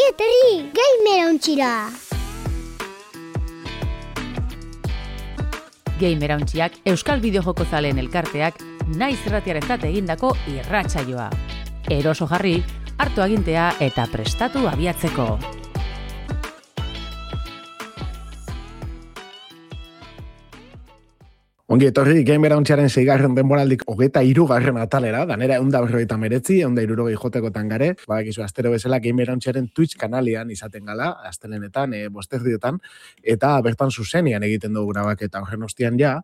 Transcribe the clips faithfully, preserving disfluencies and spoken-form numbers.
Ongi etorri, Gamer Ontxira! Gamer Ontxiak Euskal Bideojoko zaleen elkarteak naiz irratiarentzat egindako irratsaioa. Eroso jarri, hartu agintea eta prestatu abiatzeko. Ongi etorri, Gamer Ontxiaren seigarren denboraldik hogeita hirugarren atalera, danera eunda berrogeita meretzi, eunda hirurogei jotekotan gare, badakizu astero bezala Gamer Ontxiaren Twitch kanalian izaten gala, astelenetan, e, bosterdietan, eta bertan zuzenian egiten dugu grabaketa horren ostian ja,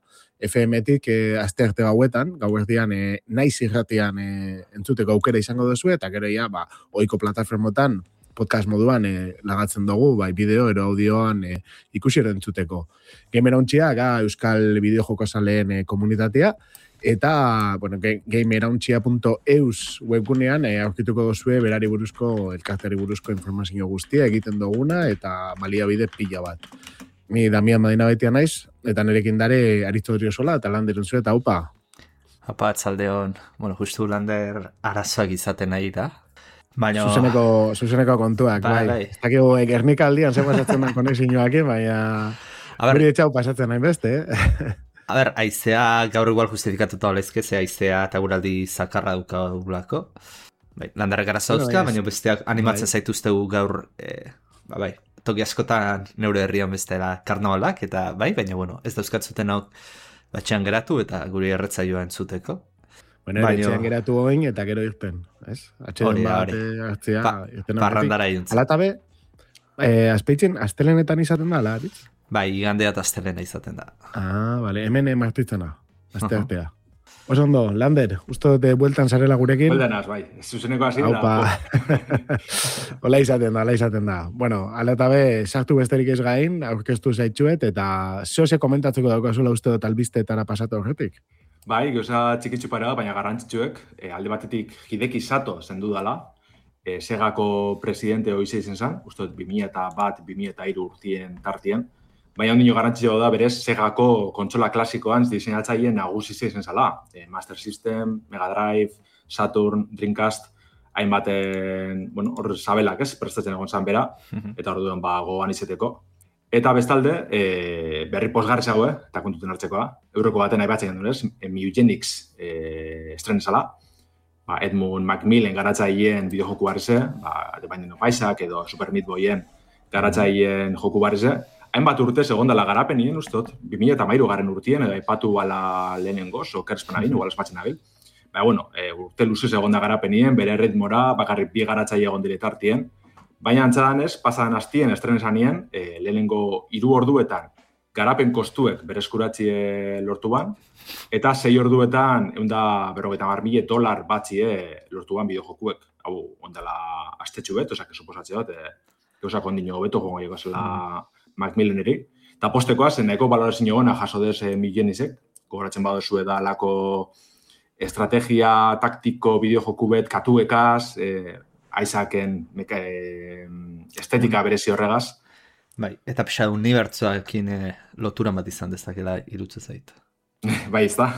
F M-tik e, astearte gauetan, gauerdian e, naiz irratian e, entzuteko aukera izango duzu, eta gero ja, ba, ohiko plataformotan, podcast moduan e, lagatzen dugu, bai bideo ero audioan e, ikusi ero entzuteko. Gamer Ontxia, ga Euskal Bideojoko zaleen e, komunitatea, eta, bueno, gamerontxia punto eus webgunean e, aurkituko dozue berari buruzko, elkarteari buruzko informazio guztia egiten duguna, eta baliabide pila bat. Ni Damian Madina betia naiz, eta nerekin dare Aristoterio sola, eta Lander entzue, eta upa. Apa, atzaldeon, bueno, justu Lander arazoak izaten nahi da. Baina... Zuzeneko, zuzeneko kontuak, bai. bai. Ez dakigu, Gernika aldian ze pasatzen den konexioak, baina... Guri etxau pasatzen nahi beste, eh? A ber, aizea gaur igual justifikatuta olezke, ze aizea eta guraldi zakarra dukagulako. Bai, Landarrek arazauzka, bueno, baina besteak animatzen bai. Zaituztegu gaur, eh, ba, bai, toki askotan neure herrian bestela karnavalak, eta bai, baina bueno, ez dauzkatzuten hau batxean geratu eta guri erretzaioa entzuteko. Bueno, baino... etxean geratu hoin eta gero irten, ez? Atxeden bat, hartzea, pa, irten parrandara irten. Alatabe, eh, azpeitzen, astelenetan izaten da, ala, aritz? Bai, igandea eta astelena izaten da. Ah, vale, hemen martitzena, azte artea. Uh-huh. Oso ondo, Lander, uste dute bueltan zarela gurekin? Bueltanaz, bai, zuzeneko hasi da. Aupa, hola izaten da, hola izaten da. Bueno, alatabe, sartu besterik ez gain, aurkeztu zaitxuet, eta zehose komentatzeko daukazula uste dut albistetara pasatu horretik. Bai, gauza txikitzu para, baina garrantzitsuek, e, alde batetik Hideki Sato zendu dala, e, Segako presidente hoize izen zen, uste bi mila bat, bi mila hiru urtien tartien, baina ondino garrantzitsua da berez Segako kontsola klasikoan diseinatzaileen nagusi izen zala, e, Master System, Mega Drive, Saturn, Dreamcast, hainbaten, bueno, hor sabelak ez, prestatzen egon zan bera, eta hor duen ba, gogoan izeteko. Eta bestalde, e, berri posgarrizago, eh, eta kontuten hartzekoa, euroko baten aipatzen genuen, ez, e, Mugenics e, estrenezala, ba, Edmund Macmillan garatzaileen bideojoku barrize, ba, The Binding of Isaac edo Super Meat Boyen garatzaileen joku barrize, hainbat urte segondala garapenien, ustot, bi mila hamairu garen urtien, edo aipatu bala lehenengoz, o kerspen abin, igual espatzen abil. Ba, bueno, e, urte luze segonda garapenien, bere ritmora, bakarrik bi garatzaile egon diretartien, baina antzadan ez, pasadan hastien estrenezanien, e, lehenengo hiru orduetan garapen kostuek bereskuratzie lortu ban, eta sei orduetan eunda berrogeita hamar mila dolar batzie lortu ban bideojokuek. Hau, ondala astetxu bet, osak, suposatze bat, e, eusak ondino beto jongo egazela mm. Macmillaneri. Eta postekoa, zen nahiko balorazio gona jaso dez e, Mugenisek, gogoratzen badozu da lako estrategia taktiko bideojoku bet katuekaz, e, Isaaken meka, e, estetika berezi horregaz. Bai, eta pixa unibertsuakin e, lotura bat izan dezakela irutze zait. Bai, ez da.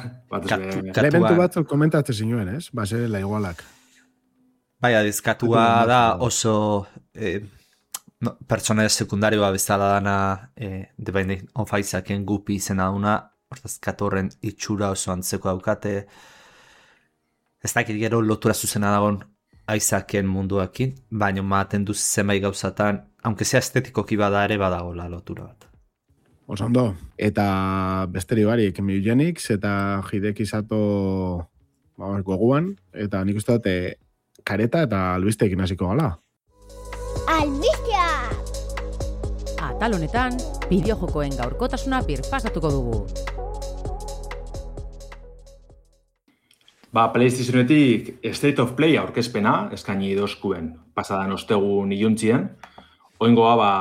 Elementu batzuk komentatzen zinuen, ez? Ba, zerela igualak. Bai, adiz, katua da oso e, no, pertsona sekundarioa bezala dana e, The Binding of Isaaken gupi izena duna, hortaz katorren itxura oso antzeko daukate. Ez dakit gero lotura zuzena dagoen Isaaken munduakin, baina maten duz zenbait gauzatan, aunque sea estetikoki bada ere badagola lotura bat. Oso ondo. Eta besteri barik, Mugenics eta Hideki Sato ba, goguan, eta nik uste dute kareta eta albisteekin hasiko gala. Albistea! Atal honetan, bideojokoen gaurkotasuna birpasatuko dugu. Ba, PlayStationetik State of Play aurkezpena, eskaini dozkuen pasadan ostegun iluntzien. Oingoa, ba,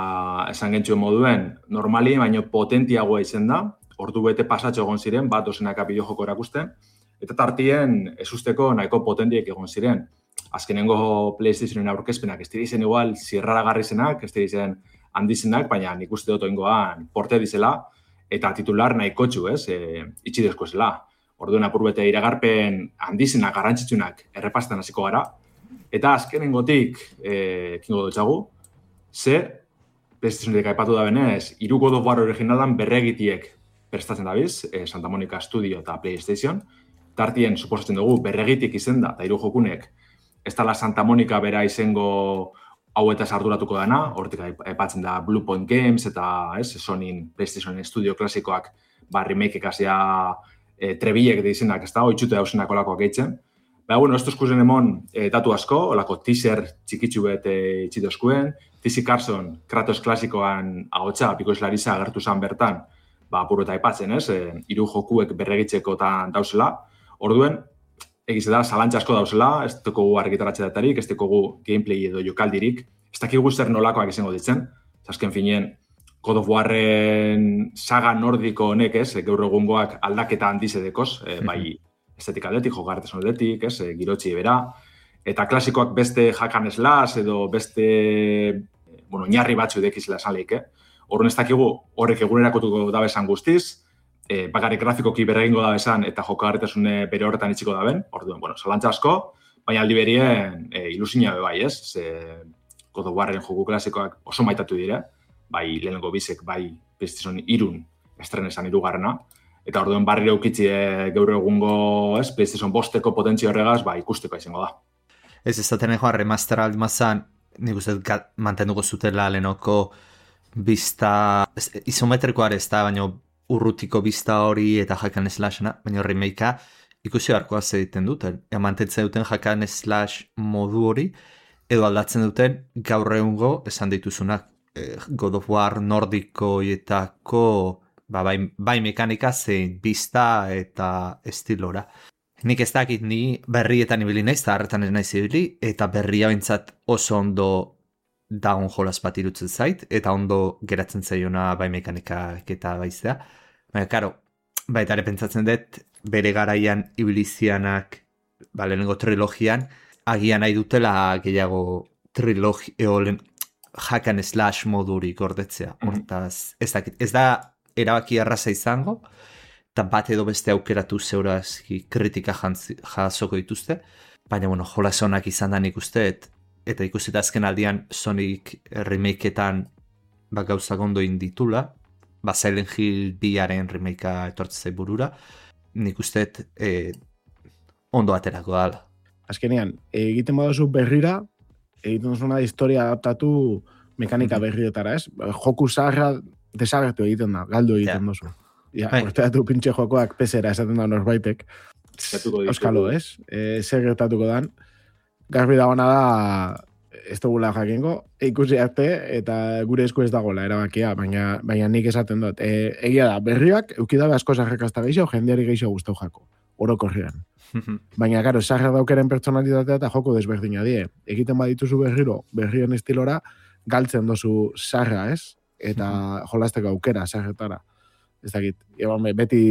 esan gentzuen moduen, normali, baino potentiagoa izen da, ordu bete pasatxo egon ziren, bat dozenaka bideojoko erakusten, eta tartien ezusteko nahiko potentiek egon ziren. Azkenengo PlayStationen aurkezpenak ez dira izen igual zirraragarri zenak, ez dira izen handizenak, baina nik uste dut oingoan porte dizela, eta titular nahiko txu, ez, e, itxidezko zela. Orduan apur bete iragarpen handizenak, garrantzitsunak errepastan hasiko gara. Eta azkenengotik, e, kingo dutxagu, ze, PlayStationetik aipatu da benez, hiru God of War originalan berregitiek prestatzen dabiz, eh, Santa Monica Studio eta PlayStation, tartien suposatzen dugu berregitik izen da, eta hiru jokunek, ez dala Santa Monica bera izengo hauetaz arduratuko dana, hortik aipatzen da Blue Point Games eta ez, Sonyin PlayStation Studio klasikoak ba, remake ekasia e, trebilek de izenak, ez da, oitxute dauzenak olakoak eitzen. Baina, bueno, esto eskuzen emon e, datu asko, olako teaser txikitsu bet e, itxitoskuen, T C Carson, Kratos klasikoan ahotsa, Pikoz Larisa agertu zan bertan, ba, apuro eta aipatzen, ez, e, hiru jokuek berregitzekotan dauzela, orduen, egize da, zalantza asko dauzela, ez tekogu argitaratxe datarik, ez tekogu gameplay edo jokaldirik, ez dakigu zer nolakoak izango ditzen, azken finien, God of Warren saga nordiko honek, ez, gaur egungoak aldaketa handizedekoz, e, bai estetika aldetik, jogarteson aldetik, ez, e, girotxi bera, eta klasikoak beste hack and slash edo beste, bueno, oinarri batzu dekizela esan lehik, eh? Horren ez dakigu, horrek egunerakotuko da bezan guztiz, e, bakarrik grafikoki berregingo da bezan eta jokagarritasune bere horretan itxiko da ben, orduen, bueno, zalantza asko, baina aldi berien e, ilusina be bai, ez? Ze God of Warren joku klasikoak oso maitatu dire, bai lehenengo bizek, bai PlayStation irun estrenesan irugarrena, eta orduen barriro ukitzi e, gaur egungo, ez, PlayStation bosteko potentzio horregaz, bai ikusteko izango da. Ez ez da tenekoa remaster aldimazan, nik uste mantenduko zutela lehenoko bizta, isometrikoa ez da, baina urrutiko bizta hori eta hack and slashena, baina remakea ikusi beharkoa egiten duten. Ja, mantentzen duten hack and slash modu hori, edo aldatzen duten gaur egungo esan dituzunak eh, God of War nordikoietako ba, bai, bai mekanika zein bizta eta estilora. Nik ez dakit ni berrietan ibili naiz, eta harretan ez naiz ibili, eta berria bintzat oso ondo daun jolas bat irutzen zait, eta ondo geratzen zaiona bai mekanikak eta baiztea. Baina, karo, baita ere pentsatzen dut, bere garaian ibilizianak, ba, lehenengo trilogian, agian nahi dutela gehiago trilogi, eolen, hack and slash modurik gordetzea. Hortaz, ez dakit, ez da erabaki arraza izango, eta bat edo beste aukeratu zeurazki kritika jasoko dituzte, baina, bueno, jolas honak izan da nik uste, eta ikusita azken aldian Sonic remakeetan ba, gauzak ondo inditula, ba, Silent Hill biaren remakea etortzei burura, nik uste e, ondo aterako dala. Azkenean, egiten baduzu berrira, egiten duzuna historia adaptatu mekanika berrietara, ez? Joku zaharra desagertu egiten da, galdu egiten yeah. duzu. Ja, orteatu pintxe jokoak pesera esaten da norbaitek. Euskalo, ez? E, zer gertatuko dan. Garbi dagoena da, ez dugula jakingo, ikusi arte eta gure esku ez dagoela erabakia, baina, baina nik esaten dut. E, egia da, berriak, eukidabe asko zarrekazta gehiago, jendeari gehiago guztau jako, orokorrean. Baina, karo, zarra daukeren pertsonalitatea eta joko desberdina die. Egiten badituzu berriro, berrien estilora, galtzen dozu zarra, ez? Eta jolasteko aukera, zarretara. Ez dakit, eban, beti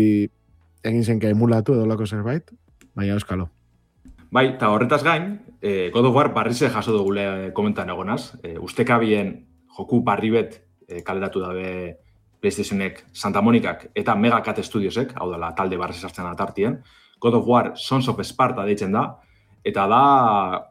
egin zenke emulatu edo lako zerbait, baina euskalo. Bai, eta horretaz gain, eh, God of War barrize jaso dugule komentan egonaz. Eh, ustekabien joku barri bet eh, kaleratu dabe PlayStationek, Santa Monicak eta Megacat Studiosek, hau dela talde barrize sartzen atartien. God of War Sons of Sparta deitzen da, eta da,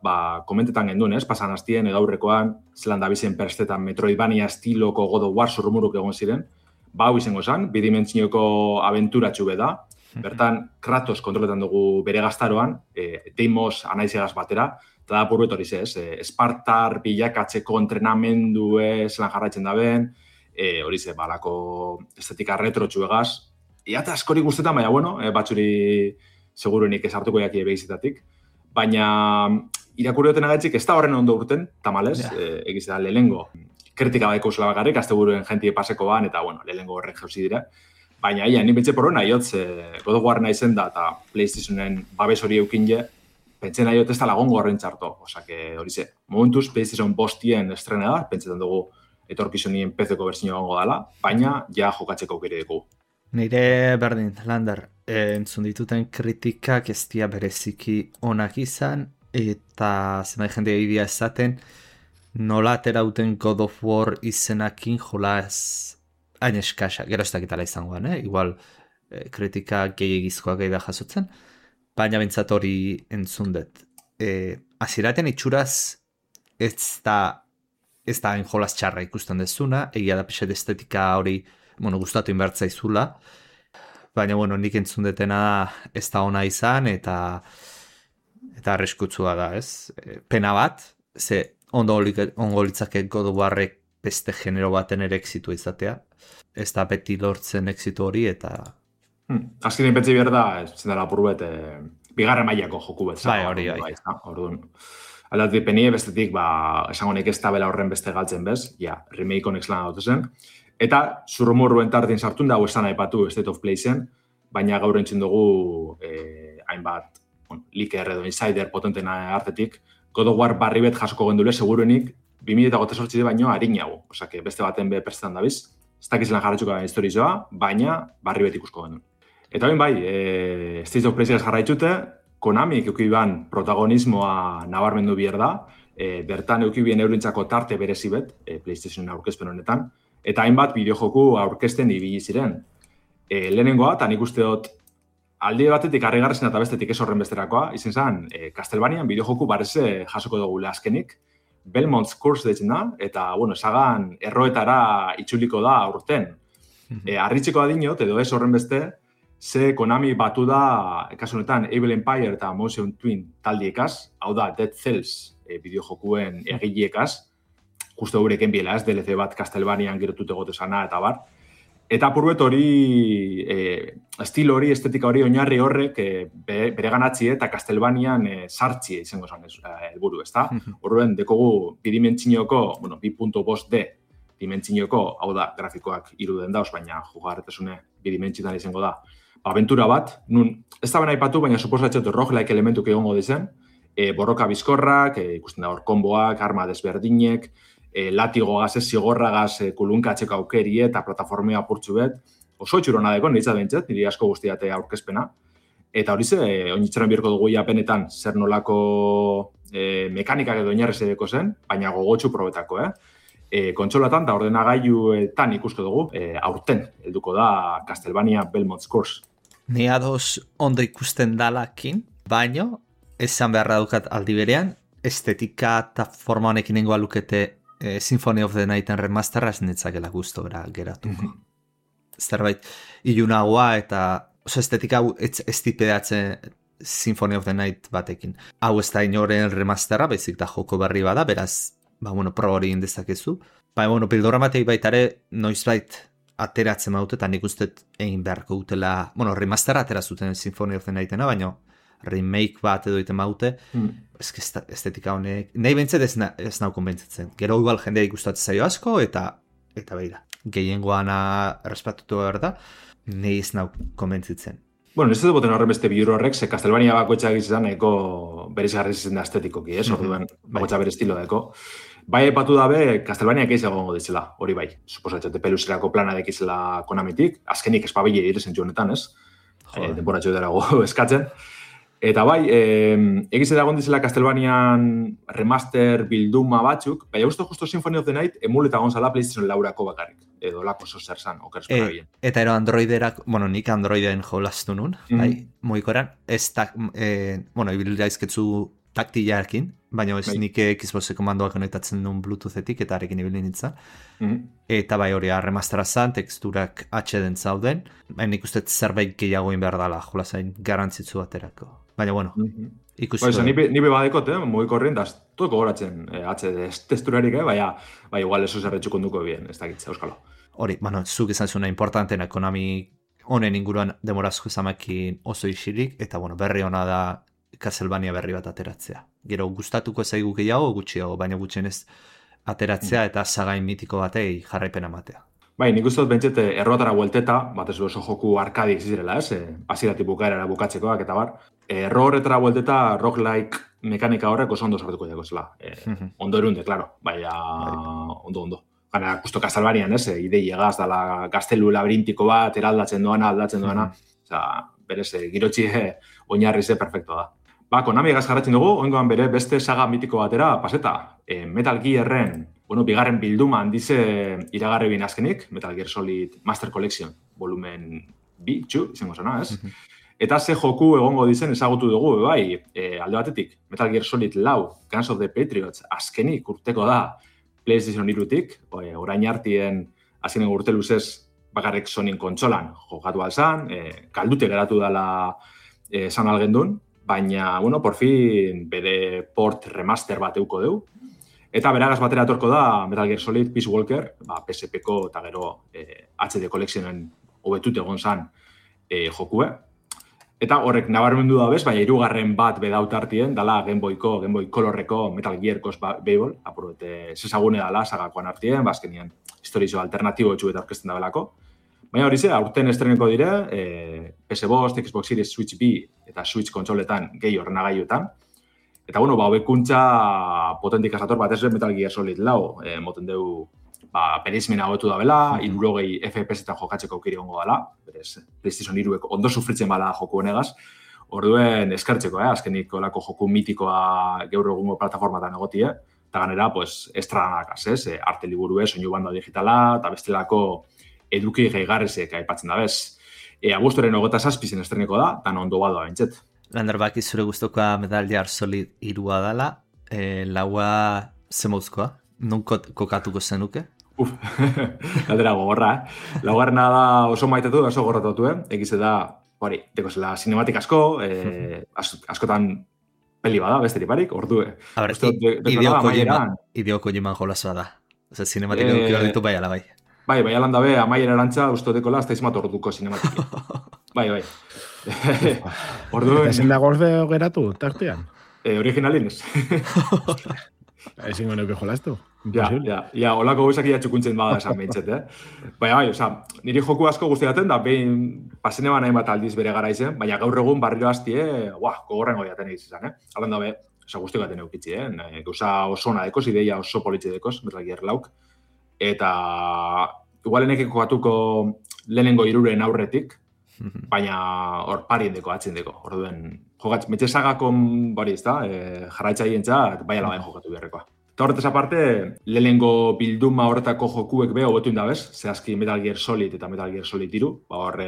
ba, komentetan genduen, ez? Pasan hastien, egaurrekoan, zelan da bizen perstetan Metroidvania estiloko God of War zurrumuruk egon ziren. Ba, hau izango zen, bidimentsioko abenturatxu be da. Bertan, Kratos kontroletan dugu bere gaztaroan, e, Deimos anaizegaz batera, eta da purret hori ez, e, Espartar bilakatzeko entrenamendue zelan jarraitzen da ben, e, hori ze, balako estetika retrotxu egaz. Iata askori guztetan, baina, bueno, e, batzuri seguruenik esartuko jaki ebegizetatik. Baina, irakurri duten agatzik, ez da horren ondo urten, tamalez, yeah. e, egiz da, lehengo. Kritika baiko zela bakarrik, azte buruen jentie paseko ban, eta, bueno, lehengo horren jauzi dira. Baina, ia, ni betxe porro nahi hotz, eh, God of War nahi zen da, eta PlayStationen babes hori eukin je, pentsen nahi hot ez da lagongo horren txarto. Osa, que hori ze, momentuz PlayStation bostien estrena da, pentsetan dugu etorkizunien P C-ko berzino gongo dela, baina ja jokatzeko aukere dugu. Nire berdin, Lander, eh, entzun dituten kritikak ez dia bereziki onak izan, eta zenbait jende egidia esaten, nola aterauten God of War izenakin jolaz hain eskasa, gero ez dakitala izangoan, eh? Igual eh, kritika gehiagizkoa gehi da jasotzen, baina bintzat hori entzun dut. Eh, Aziraten itxuraz ez da ez da enjolas txarra ikusten dezuna, egia da pixet estetika hori, bueno, gustatu inbertzaizula, baina, bueno, nik entzun detena ez da ona izan, eta eta arriskutsua da, ez? Pena bat, ze ondo ongo litzake God of Warrek beste genero baten ere exitu izatea, ez da beti lortzen exitu hori, eta... Hmm. Azkenean pentsi behar da, zen dela purbet, e, bigarren mailako joku bet. Bai, hori, bai. Orduan, aldatik penie bestetik, ba, esango nik ez tabela horren beste galtzen bez, ja, remake honek lan dut zen. Eta zurrumurruen tartin sartun da, hau esan aipatu State of Play zen, baina gaur entzun dugu eh, hainbat bon, leaker edo insider potenten artetik, God of War barri bet jasoko gendule, seguruenik, bi mila hogeita zortzi baino harinago. Osake, beste baten be prestan dabiz. Ez dakizelan jarratxuko da historizoa, baina barri bet ikusko genuen. Eta ben bai, e, State of Play jarraitxute, Konami eukiban protagonismoa nabarmendu bier da, e, bertan eukibien eurintzako tarte berezi bet, e, PlayStation aurkezpen honetan, eta hainbat bideojoku aurkezten ibili ziren. E, lehenengoa, eta nik uste dut, alde batetik harrigarrezen eta bestetik ez horren besterakoa, izen zen, e, Castlevanian bideojoku bareze jasoko dugu azkenik, Belmont's Curse deitzen da, eta, bueno, esagan erroetara itzuliko da aurten. E, Arritzeko adinot, edo ez horren beste, ze Konami batu da, kasu honetan, Evil Empire eta Motion Twin taldiekaz, hau da, Dead Cells e, bideojokuen egileekaz, justo eureken biela, ez, D L C bat Castlevanian gerotute gote sana eta bar. Eta apurbet hori, e, estilo hori, estetika hori, oinarri horrek e, be, bere ganatzi eta Castlevanian e, sartzi izango zen helburu, ezta? Horren, dekogu bidimentsioko, bueno, bi puntu bost D dimentsioko, hau da, grafikoak iruden dauz, baina jugarretasune bidimentsitan izango da. Aventura bat, nun, ez da bena aipatu, baina suposatzen roguelike elementuk egongo dizen, e, borroka bizkorrak, e, ikusten da hor konboak, arma desberdinek, e, latigo gaz, zigorragaz, e, kulunkatzeko aukeri eta plataformea apurtzu bet, oso txurona deko, nire izadentzat, nire asko guztiate aurkezpena. Eta hori ze, e, oinitzeran birko dugu japenetan, zer nolako e, mekanikak edo inarrez edeko zen, baina gogotxu probetako, eh? E, kontsolatan eta ordenagailuetan ikusko dugu, e, aurten, helduko da Castlevania Belmont's Curse. Ni ados ondo ikusten dalakin, baino, esan beharra dukat aldi berean, estetika eta forma honekin nengoa lukete e, Symphony of the Nighten remasterra ez netzakela gustora geratuko. Mm-hmm. Zerbait, ilunagoa eta oso estetika ez, ez tipedatzen Symphony of the Night batekin. Hau ez da inoren remasterra, baizik da joko berri bada, beraz, ba, bueno, pro hori indezakezu. Ba, bueno, bildorra matei baitare, noizbait ateratzen maute, eta nik uste egin beharko dutela, bueno, remaster atera zuten Symphony of the Nightena, baina remake bat edo iten maute, mm. eske estetika honek, nahi bentzet ez, na, ez nau konbentzitzen. Gero igual jendea ikustatzen zaio asko, eta eta beira, gehiengoana errespatutu behar da, nahi ez nau konbentzitzen. Bueno, ez dut boten horren beste bihur horrek, ze Castlevania bakoetxak izan eko berezigarriz izan da estetikoki, ez? Orduen, bakoetxak bere estilo daeko. Bai, epatu dabe, Castlevania keiz egongo ditzela, hori bai. Suposatzete peluserako plana dekizela Konamitik, azkenik espabile direzen honetan, ez? E, denboratxo darago eskatzen. Eta bai, e, egiz edagon dizela Castlevanian remaster bilduma batzuk, bai, justo justo Symphony of the Night emuleta gonzala PlayStation laurako bakarrik, edo lako zozer zan, okerzpera bien. E, eta ero Androiderak, bueno, nik Androideen jolaztu nun, mm-hmm. bai, moikoran, ez tak, e, bueno, ibilda izketzu taktilarekin, baina ez bai. Nik Xboxeko mandoak konektatzen duen Bluetoothetik eta arekin ibili nintzen. Mm-hmm. Eta bai hori remastera zan, teksturak atxeden zauden, baina nik uste zerbait gehiago behar dala, jola zain garantzitzu baterako. Baina bueno, mm-hmm. ikusi. Ba, nipe, nipe badekot, eh, moiko horrein, da, toko goratzen eh, atxede testurarik, eh, baina bai, igual eso zerretxuko duko bien, ez dakitza, euskalo. Hori, bueno, zuk izan zuna importantena, Konami honen inguruan demorazko zamakin oso isilik, eta bueno, berri hona da Castlevania berri bat ateratzea. Gero gustatuko zaigu gehiago, gutxiago, baina gutxienez ateratzea eta sagain mitiko batei jarraipena matea. Bai, nik uste dut bentsete errotara buelteta, bat ez oso joku arkadik zizirela, ez? Hasiratik bukaerara bukatzekoak eta bar. Erro horretara buelteta roguelike mekanika horrek oso ondo sartuko dago zela. E, ondo erunde, klaro, baina ondo, ondo. Gana, justo Castlevanian, ez? Idei egaz dala gaztelu labirintiko bat, eraldatzen doana, aldatzen doana. Osa, berez, girotxi oinarri ze perfecto da. Ba, Konami egaz jarratzen dugu, oingoan bere beste saga mitiko batera paseta. E, Metal Gearren, bueno, bigarren bilduma handize iragarri bin azkenik, Metal Gear Solid Master Collection, volumen bi, txu, izango zena, ez? Mm-hmm. Eta ze joku egongo dizen ezagutu dugu, bai, e, alde batetik, Metal Gear Solid lau, Guns of the Patriots, azkenik urteko da PlayStation hirutik, orain artien azkenen urte luzez bakarrik Sonyn kontsolan jokatu alzan, e, kaldute geratu dela e, san algendun, baina, bueno, por fin bere port remaster bat euko deu. Eta beragaz batera etorko da Metal Gear Solid Peace Walker, ba, P S P-ko eta gero e, H D Collectionen hobetut egon zan e, jokue. Eta horrek nabarmendu da bez, baina hirugarren bat bedaut artien, dala Game Boyko, Game Boy Colorreko Metal Gear Cos Babel, apurute zezagune dala sagakoan artien, bazkenien historizo alternatibo etxu eta orkesten da belako. Baina hori ze, aurten estreneko dire, e, P S bost, Xbox Series, Switch B eta Switch kontsoletan gehi ordenagailuetan. Eta, bueno, ba, hobekuntza potentik asator bat ez Metal Gear Solid lau, e, moten deu, ba, bereizmena hobetu da bela, hirurogei F P S-etan jokatzeko aukeri gongo dela, berez, PlayStation hiruek ondo sufritzen bala joku honegaz, orduen eskartzeko, eh? Azkenik olako joku mitikoa gaur egungo plataformatan egotie, eta ganera, pues, estranakaz, ez? E, arte liburue, soinu banda digitala, eta bestelako eduki gehigarrizek aipatzen da bez. E, Agustoren hogeta zazpizen estreneko da, eta ondo badoa bentset. Lander, baki zure guztokoa Metal Gear Solid irua dela, e, laua zemouzkoa, non kokatuko zenuke? Uf, galdera gogorra, eh? Laugarrena da oso maitetu, oso gorrotatu, eh? Egize da, hori, deko zela cinematik asko, eh, as, askotan peli bada, besterik barik, ordu, eh? A ber, ideo Kojiman jolazoa da. Oza, cinematik eduki hor ditu bai ala bai. Bai, bai alan dabe, amaiera erantza, usto dekola, ez da izmat orduko cinematiki. Bai, bai. Orduen... Ezin da golfe geratu, tartean? Eh, originalin ez. Ezin goneuke jolaztu. Ja, ja, ja, holako guzak ia txukuntzen bada esan behintzet, eh? Baina, bai, oza, niri joku asko guztiaten da, behin pasene ba nahi bat aldiz bere gara izen, baina gaur egun barriro hastie, buah, gogorren godiaten egiz izan, eh? Alan dabe, oza, guzti gaten eukitzi, eh? Gauza oso ona dekoz, ideia oso politxe dekoz, Metal Gear lauk. Eta igual enekiko kokatuko lehenengo iruren aurretik, baina hor parien deko, atzen deko. Orduen, jogatz, metxe sagakon bari ez da, e, jarraitzaien txat, bai alabain jokatu beharrekoa. Eta horretaz aparte, lehenengo bilduma horretako jokuek beho hobetu indabez, zehazki Metal Gear Solid eta Metal Gear Solid hiru, ba hor,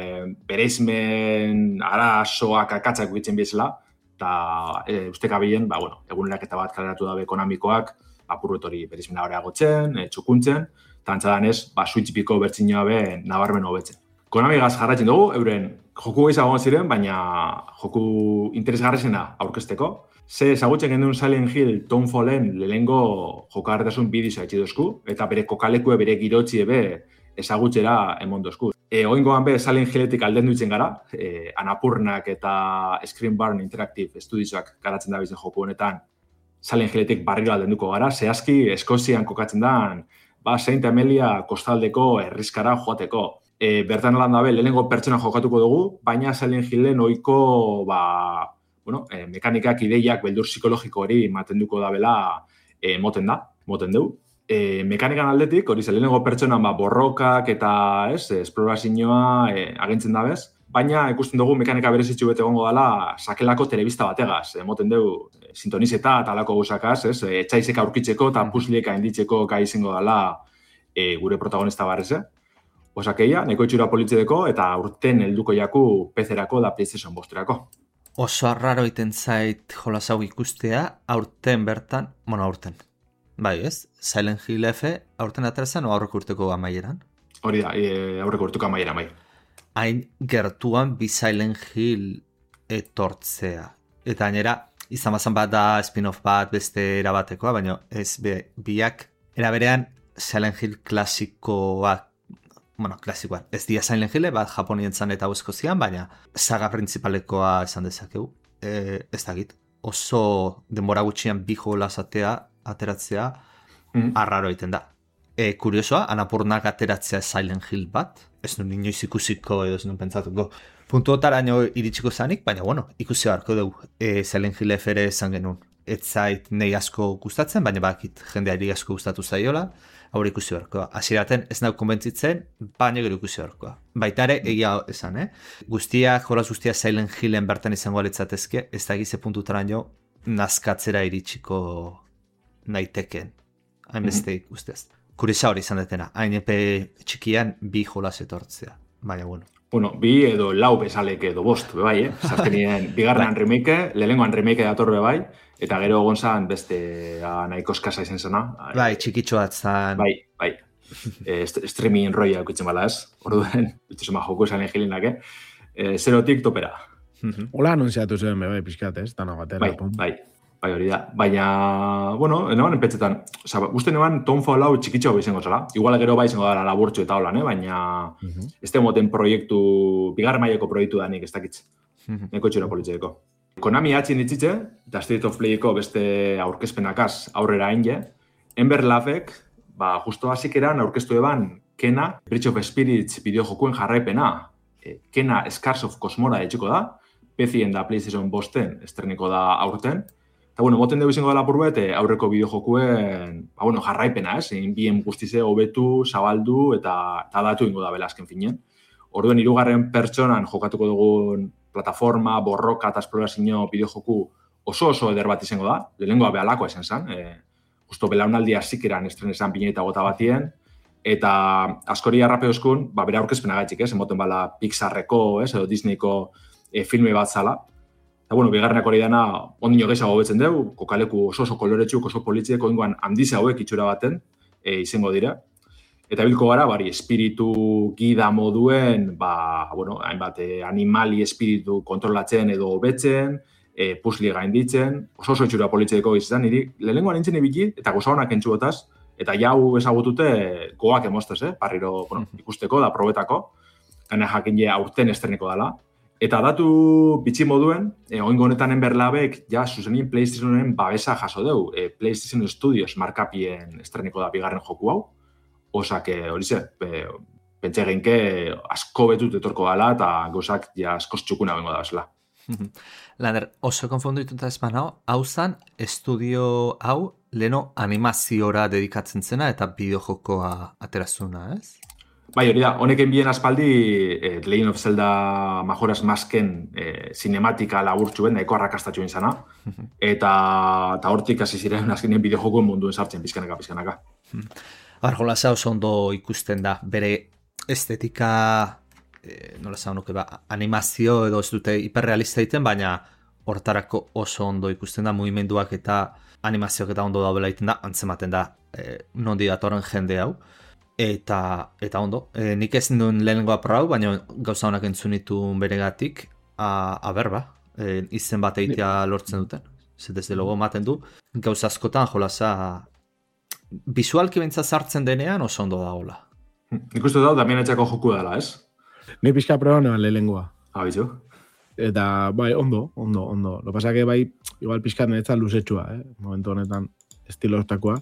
bereizmen arazoak akatzak bitzen bizela, eta e, ustekabilen, ba, bueno, egunerak eta bat kaleratu dabe Konamikoak, apurretori bereizmena areagotzen, e, txukuntzen, eta antzadanez, ba, Switch biko bertzinoa be nabarmen hobetzen. Konamigaz jarraitzen dugu, euren joku gehiago ziren, baina joku interesgarrizena aurkezteko. Ze ezagutzen gendun Silent Hill Townfallen lehengo jokarretasun bidizoa etxi dozku, eta bere kokalekue bere girotzi ebe ezagutzera emon dozku. E, Oingoan be Silent Hilletik alden duitzen gara, e, Anapurnak eta Screen Barn Interactive Studiosak garatzen da bizen joku honetan, Silent Hilletik barriro aldenduko gara, zehazki Eskozian kokatzen dan, ba, Saint Amelia kostaldeko herrizkara joateko. E, bertan lan dabe, lehenengo pertsona jokatuko dugu, baina Silent Hillen ohiko ba, bueno, e, mekanikak, ideiak, beldur psikologiko hori matenduko dabela e, moten da, moten dugu. E, mekanikan aldetik, hori ze lehenengo pertsonan ba, borrokak eta ez, esplorazioa e, agintzen dabez, baina ikusten dugu mekanika berezitxu bete egongo dela sakelako telebista bategaz, emoten dugu e, sintonizeta eta alako guzakaz, ez, e, etxaizek aurkitzeko eta puzliek hainditzeko gai izango dela e, gure protagonista barreze. Osakeia, neko itxura politzedeko eta urten helduko jaku P C-erako da PlayStation bosterako. Oso arraro iten zait jolas hau ikustea, aurten bertan, bueno, aurten. Bai, ez? Silent Hill F aurten aterazan o aurreko urteko amaieran? Hori da, e, aurreko urteko amaieran, bai. Hain gertuan bi Silent Hill etortzea. Eta gainera, izan bazan bat da spin-off bat beste erabatekoa, baina ez be, biak eraberean Silent Hill klasikoak, bueno, klasikoan, ez dia Silent Hill bat Japonien zan eta Eskozian, baina saga principalekoa esan dezakegu, e, ez dakit. Oso denbora gutxian bi jola azatea, ateratzea, mm. arraro egiten da. E, kuriosoa, Anapurnak ateratzea Silent Hill bat, ez nun inoiz ikusiko edo ez nun pentsatuko. Puntu otaraino iritsiko zanik, baina bueno, ikusi beharko dugu. E, Silent Hill F ere esan genuen. Ez zait nahi asko gustatzen, baina bakit jendeari asko gustatu zaiola, aurre ikusi beharkoa. Hasieraten ez nahi konbentzitzen, baina gero ikusi beharkoa. Baita ere, egia esan, eh? Guztiak, jolas guztiak Silent Hillen bertan izango alitzatezke, ez da egize puntutaraino nazkatzera iritsiko naiteken. Hainbeste guztiaz. Kuriosa hori izan detena, hain epe txikian bi jolas etortzea. Baina, bueno. bueno, bi edo lau bezalek edo bost, bai, eh? Zazkenien, bigarrenan remake, lehenengoan remake datorre bai, eta gero gonzan beste nahiko eskasa izen zena. Bai, txikitxoat zan. Bai, bai. e, streaming roia aukitzen bala ez. Orduen, bituzema joko esan egilinak, eh? E, zerotik topera. Hola anunziatu zuen, bai, pixkat, ez? Tana batera. Bai, bai. Bai, hori da. Baina, bueno, eneban enpetzetan, oza, uste neban Townfall hau txikitxo izango zela. Igual gero bai izango dara laburtxo eta holan, eh? Baina uh-huh. ez moten proiektu, bigarren maileko proiektu da nik ez dakitz. Uh-huh. Neko txura politxeko. Konami atxin ditzitze, eta State of Playeko beste aurkezpenakaz aurrera hain Ember Lavek, ba, justo hasik eran aurkeztu eban Kena, Bridge of Spirits bideojokuen jarraipena. E, Kena Scars of Cosmora etxiko da, P C-en da PlayStation bosten estreniko da aurten. Eta, bueno, moten dugu izango dela purbet, aurreko bideojokuen, ba, bueno, jarraipena, ez? Egin bien guztize hobetu, zabaldu eta, eta datu ingo da bela azken finen. Orduen, hirugarren pertsonan jokatuko dugun plataforma, borroka eta esplorazio bideojoku oso oso eder bat izango da. Lehenengoa behalakoa esan zen. E, justo belaunaldi hasikeran estrenesan pine eta gota batien. Eta askori arrape euskun, ba, bera aurkezpena gaitxik, ez? Emoten bala Pixarreko, ez? Edo Disneyko e, filme bat zala. Eta, bueno, bigarrenak hori dena, ondino gehiago betzen dugu, kokaleku oso oso koloretxuk, oso politzieko ingoan handize hauek itxura baten e, izango dira. Eta bilko gara, bari, espiritu gida moduen, ba, bueno, hainbat, eh, animali espiritu kontrolatzen edo hobetzen, eh, pusli gainditzen, oso oso itxura politzieko izan, niri, lehenengoan nintzen ibili, eta goza honak entxuotaz, eta jau ezagutute goak emostez, eh? Parriro, bueno, ikusteko da, probetako, gana jakin ja aurten estreneko dela. Eta datu bitxi moduen, eh, oingo honetan Ember Lavek, ja, zuzenien PlayStationen babesa jaso deu. Eh, PlayStation Studios markapien estreneko da bigarren joku hau. Osak, hori ze, pentsa eginke asko betut etorko gala eta gauzak ja askoz txukuna bengo da bezala. Lander, oso konfondu dituta ezpan hau, hau zan, estudio hau leno animaziora dedikatzen zena eta bideojokoa aterazuna, ez? Bai, hori da, honeken bien aspaldi eh, Legend of Zelda Majora's Masken eh, cinematika laburtxuen, nahiko arrakastatxuen zana, eta, eta hortik hasi ziren azkenien bideojokuen munduen sartzen, pizkanaka, pizkanaka. Arjolasa oso ondo ikusten da, bere estetika, eh, nola zan nuke, ba, animazio edo ez dute hiperrealista egiten, baina hortarako oso ondo ikusten da, mugimenduak eta animazioak eta ondo daudela egiten da, antzematen da, eh, nondi datorren jende hau. Eta, eta ondo, e, nik ez nuen lehenengoa prau, baina gauza honak entzun ditun beregatik, a, a berba, e, izen bat eitea lortzen duten. Zer desde logo ematen du, gauza askotan jolasa, bizualki bentsa sartzen denean oso ondo da hola. Nik uste dut, Damien etxako joku dela, ez? Ni pixka proba neban lehenengoa. Abizu. Eta, bai, ondo, ondo, ondo. Lo pasa que bai, igual pixka netzat luzetxua, eh? Momentu honetan estilo hortakoa.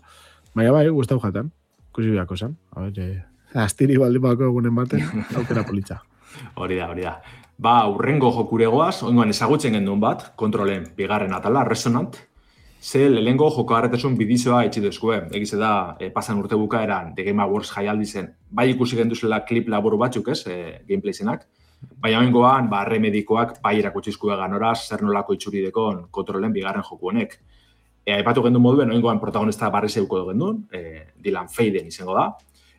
Baina bai, guztau jaten. Kusi biako zen. A ver, eh, astiri baldi bako egunen baten, aukera politxa. Hori da, hori da. Ba, urrengo jokuregoaz, oingoan ezagutzen gendun bat, kontrolen bigarren atala, Resonant, ze lehengo joko harretesun bidizoa etxidezkue. Egize da, e, pasan urte bukaeran, The Game Awards jaialdi zen, bai ikusi genduzela klip laburu batzuk, ez, e, gameplay zenak, baina oingoan, ba, remedikoak bai erakutsizkue ganoraz, zer nolako itxuridekon kontrolen bigarren joku honek. E, aipatu gendun moduen, oingoan protagonista barri zeuko gendun, e, Dylan Faden izango da,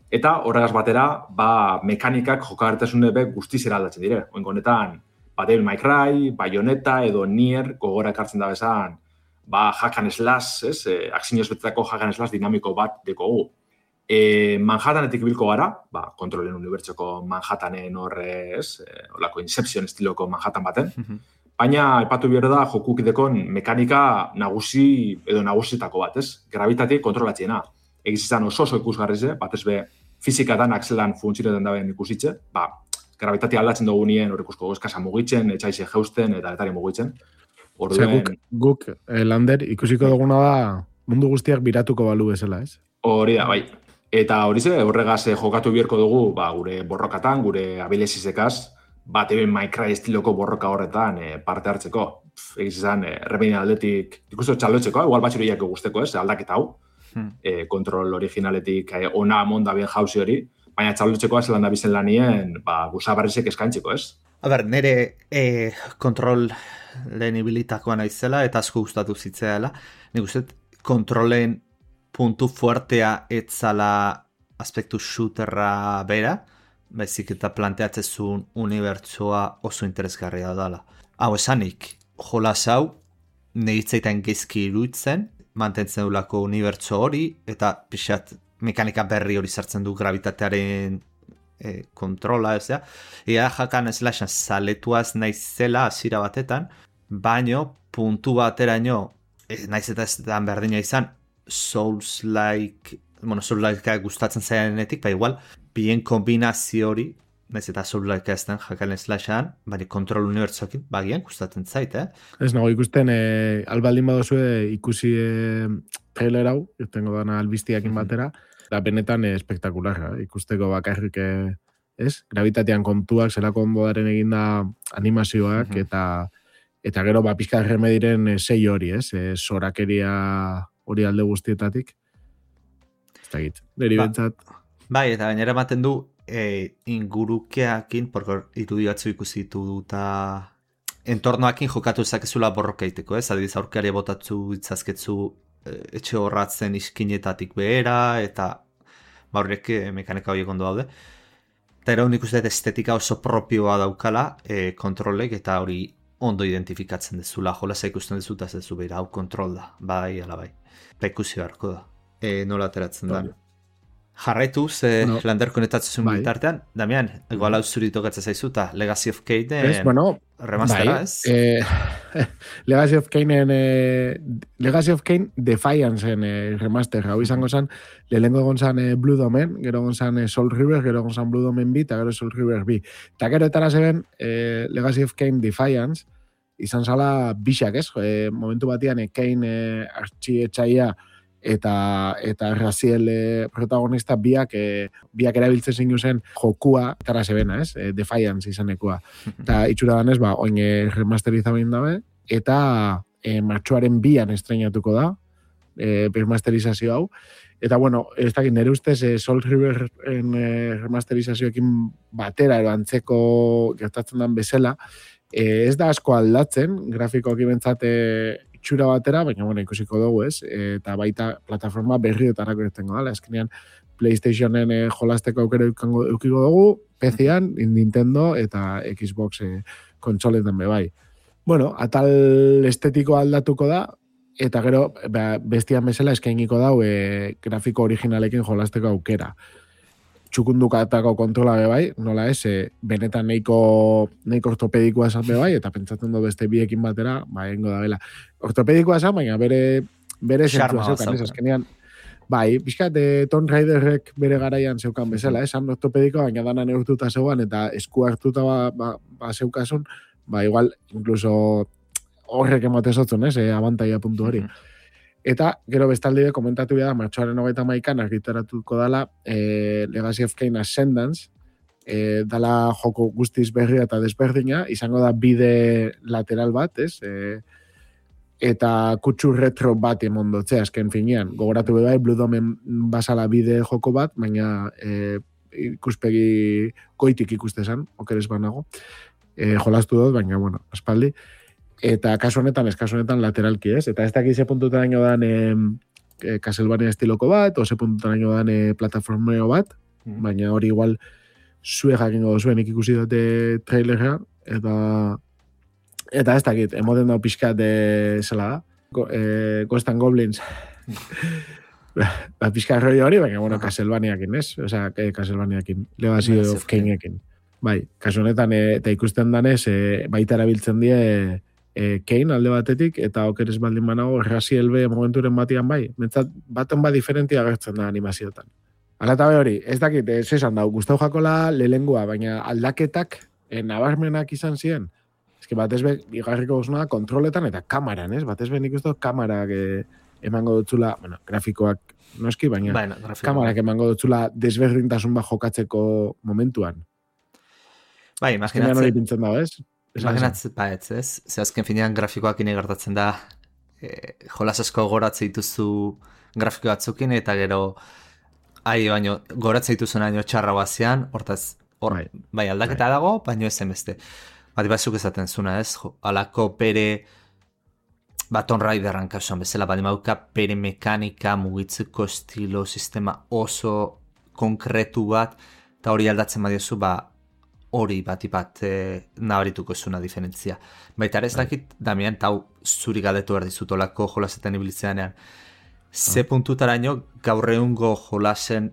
eta horregaz batera, ba, mekanikak jokagartasune be guztiz eraldatzen dire. Oingo honetan, ba, Devil May Cry, Bayonetta edo Nier gogora ekartzen da bezan, ba, hack and slash, ez, e, aksinioz betetako hack and slash dinamiko bat dekogu. E, Manhattanetik bilko gara, ba, kontrolen unibertsoko Manhattanen horre, ez, e, olako Inception estiloko Manhattan baten, baina, aipatu behar da, jokukidekon mekanika nagusi edo nagusitako bat, ez? Gravitatik kontrolatziena. Egiz izan oso oso ikusgarrize, batez be, fizikatan akzelan funtzionetan daben ikusitze, ba, gravitatik aldatzen dugu nien, hor ikusko eskasa mugitzen, etxaize jeusten eta etari mugitzen. Orduen... Guk, guk eh, Lander, ikusiko duguna da mundu guztiak biratuko balu bezala, ez? Hori da, bai. Eta hori ze, horregaz jokatu biherko dugu, ba, gure borrokatan, gure abilesizekaz, bat Devil May Cry estiloko borroka horretan e, parte hartzeko. Egiz izan, e, remedien aldetik, ikustu txalotzeko, igual batxuriak guzteko, ez, aldaketa hau. Hmm. E, kontrol originaletik e, ona amonda bien jauzi hori, baina txalotzeko zelan da bizen lanien, ba, guzabarrizek eskaintzeko, ez? A ber, nire e, kontrol lehen ibilitakoa naizela, eta asko gustatu zitzeela. Nik uste, kontrolen puntu fuertea etzala aspektu shooterra bera, baizik eta planteatzezun unibertsoa oso interesgarria dela. Hau esanik, jolas hau, nehitzaitan gezki iruditzen, mantentzen dulako unibertso hori, eta pixat mekanika berri hori sartzen du gravitatearen e, kontrola, ez da? Ea jakan slashan zaletuaz naizela hasiera batetan, baino puntu bateraino, e, naiz eta ez da berdina izan, Souls-like, bueno, Souls-like gustatzen zainetik, ba igual, bien kombinazio hori, naiz eta Souls-like ez den jakan slashan, baina kontrol unibertsoekin, bagian gustatzen zait, eh? Ez nago ikusten, e, albaldin badozue ikusi e, trailer hau, irtengo dana albiztiakin batera, da benetan e, espektakularra, ikusteko bakarrik, e, ez? Gravitatean kontuak, zelako ondodaren eginda animazioak, mm-hmm. eta eta gero, ba, pixka remediren e, sei hori, ez? E, sorakeria hori alde guztietatik. Ez da git, niri ba, bentsat. Bai, eta gainera ematen du, e, ingurukeakin, porko irudiatzu ikusitu duta entornoakin jokatu ezakezula borroka iteko, ez? Adibiz, aurkari botatzu itzazketzu e, etxe horratzen iskinetatik behera, eta ba horrek mekanika horiek ondo daude. Eta ero nik uste estetika oso propioa daukala e, kontrolek, eta hori ondo identifikatzen dezula, jolasa ikusten dezuta ez dezu behira, hau kontrol da, bai, ala bai. Eta ikusi beharko da, e, nola ateratzen da. Jarraituz, eh, no. Lander konetatzen bai. Bitartean, Damian, igual hau zuri tokatzen zaizuta, Legacy of Kainen bueno, remastera, bai. ez? Eh, Legacy of Kainen, eh, Legacy of Kain Defiance-en eh, remaster, hau izango zen, lehenko egon zen eh, Blue Domain, gero egon zen eh, Soul River, gero egon zen Blue Domain B, eta gero Soul River B. Eta gero etara zeben eh, Legacy of Kain Defiance, izan zala bixak, ez? Eh, momentu batian, eh, Kain eh, artxietxaia, eta eta Raziel e, protagonista biak e, biak erabiltzen zinu zen jokua etara zebena, ez? E, Defiance izanekoa. Eta itxura danez, ba, oin e, remasterizabein dabe, eta e, martxoaren bian estrenatuko da, e, remasterizazio hau. Eta, bueno, ez dakit, nire ustez, e, Soul River-en e, remasterizazioekin batera, ero antzeko gertatzen den bezala, e, ez da asko aldatzen, grafikoak ibentzate itxura batera, baina bueno, ikusiko dugu, ez? Eta baita plataforma berriotarako irtengo dala. Azkenean PlayStationen eh, jolasteko aukera eukiko dugu, P C-an, Nintendo eta Xbox eh, kontsoletan be bai. Bueno, atal estetiko aldatuko da, eta gero ba, bestian bezala eskainiko dau eh, grafiko originalekin jolasteko aukera. Txukundukatako kontrola be bai, nola ez, e, benetan neiko, neiko ortopedikoa esan be bai, eta pentsatzen du beste biekin batera, ba, egingo da bela. Ortopedikoa esan, baina bere, bere zentua zeukan, ez, azkenean, bai, pixkat, e, Tomb Raiderrek bere garaian zeukan bezala, esan ortopedikoa, baina dana neurtuta zeuan, eta esku hartuta ba, ba, ba zeukasun, ba, igual, incluso horrek ematezotzen, ez, e, abantaia puntu hori. Mm-hmm. Eta, gero bestalde komentatu da, martxoaren hogeita maikan argitaratuko dala e, Legacy of Kain Ascendance, e, dala joko guztiz berria eta desberdina, izango da bide lateral bat, ez? E, eta kutsu retro bat emondotzea, azken finean. Gogoratu bai, Blue Domain basala bide joko bat, baina e, ikuspegi goitik ikustezan, okeres banago. E, jolastu dut, baina, bueno, aspaldi. Eta kasu honetan, ez kasu honetan lateralki, ez? Eta ez dakiz ze puntutan daño dan e, Castlevania estiloko bat, o ze puntutan daño dan e, plataformeo bat, mm. baina hori igual zue jakingo duzuen ikusi dute trailerra, eta eta ez dakit, emoten dau pixkat de zela da, Go, e, Ghost and Goblins. ba, pixkat roi hori, baina, bueno, Castlevaniakin, ez? Osa, e, Castlevaniakin, Legacy of Kainekin. Bai, kasu honetan, e, eta ikusten danez, e, baita erabiltzen die e, Kain alde batetik, eta okeres baldin banago, Raziel be momenturen batian bai. Mentzat, baten ba diferentia agertzen da animazioetan. Hala eta hori, ez dakit, ez esan dau, guztau jakola lelengua, baina aldaketak e, nabarmenak izan ziren. Ez que batez be, igarriko guzuna, kontroletan eta kamaran, ez? Batez be nik uste kamarak e, emango dutzula, bueno, grafikoak noski, baina bueno, kamarak emango dutzula desberdintasun bat jokatzeko momentuan. Bai, imaginatzen... hori pintzen dago, ez? Imaginatzen, ba, ez, ez? Ze azken finean grafikoak gertatzen da, e, jolas asko goratze dituzu grafiko batzukin, eta gero, ai, baino, goratze dituzu naino txarra bazian, hortaz, hor, bai, bai aldaketa bai. Dago, baino ezen beste. Bati batzuk ezaten zuna, ez? Jo, alako pere, ba, Tomb Raiderran kasuan bezala, badi mauka pere mekanika, mugitzeko estilo, sistema oso konkretu bat, eta hori aldatzen badiozu, ba, hori batipat e, nabarituko zuna diferentzia. Baita ere ez dakit, Damian, tau zuri galdetu behar dizutolako jolasetan ibilitzeanean. Ze puntutaraino gaur egungo jolasen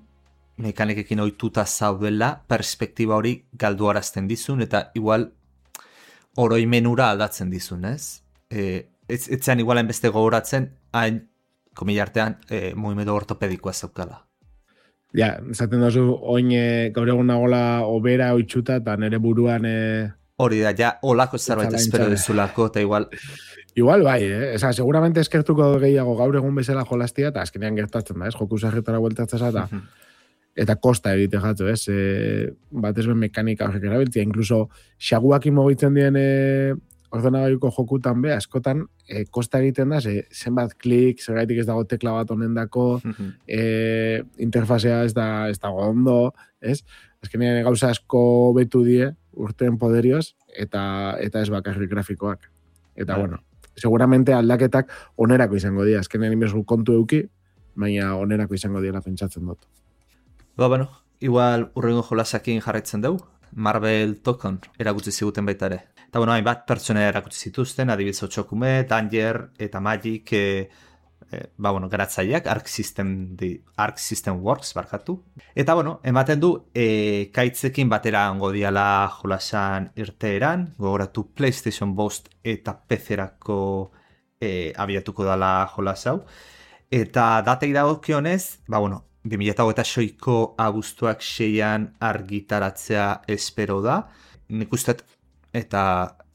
mekanikekin ohituta zaudela, perspektiba hori galduarazten dizun, eta igual oroimenura aldatzen dizun, ez? E, ez etzean igualen beste gogoratzen, hain, komila artean, e, mugimendu ortopedikoa zaukala. Ja, esaten dozu, oin e, gaur egun nagola obera oitxuta, eta nire buruan... E... Hori da, ja, olako zerbait espero dizulako, eta igual... Igual bai, eh? Esa, seguramente eskertuko gehiago gaur egun bezala jolastia, eta azkenean gertatzen da, ez? Joku zarretara bueltatzea, eta, eta kosta egite jatzu, ez? E, bat ez ben mekanika horrek erabiltzia, incluso xaguakin mogitzen dien e, ordenagailuko jokutan be, askotan, e, kosta egiten da, ze, zenbat klik, zergaitik ez dago tekla bat honendako, e, interfazea ez, da, ez dago ondo, ez? Azkenean gauza asko betu die, urteen poderioz, eta, eta ez bakarrik grafikoak. Eta, bueno, seguramente aldaketak onerako izango dira. Azkenean inbezgu kontu euki, baina onerako izango dira pentsatzen dut. Ba, bueno, igual urrengo jolasakin jarraitzen dugu. Marvel Tokon erakutsi ziguten baita ere. Eta, bueno, hainbat pertsona erakutsi zituzten, adibidez Otsokume, Danger eta Magic, e, e, ba, bueno, garatzaileak, Arc System, di, Arc System Works, barkatu. Eta, bueno, ematen du, e, kaitzekin batera ongo diala jolasan irteeran, gogoratu PlayStation Bost eta P C-erako e, abiatuko dala jolas hau. Eta datei dagokionez, ba, bueno, bi mila hogeita seiko abuztuak seian argitaratzea espero da. Nik uste, eta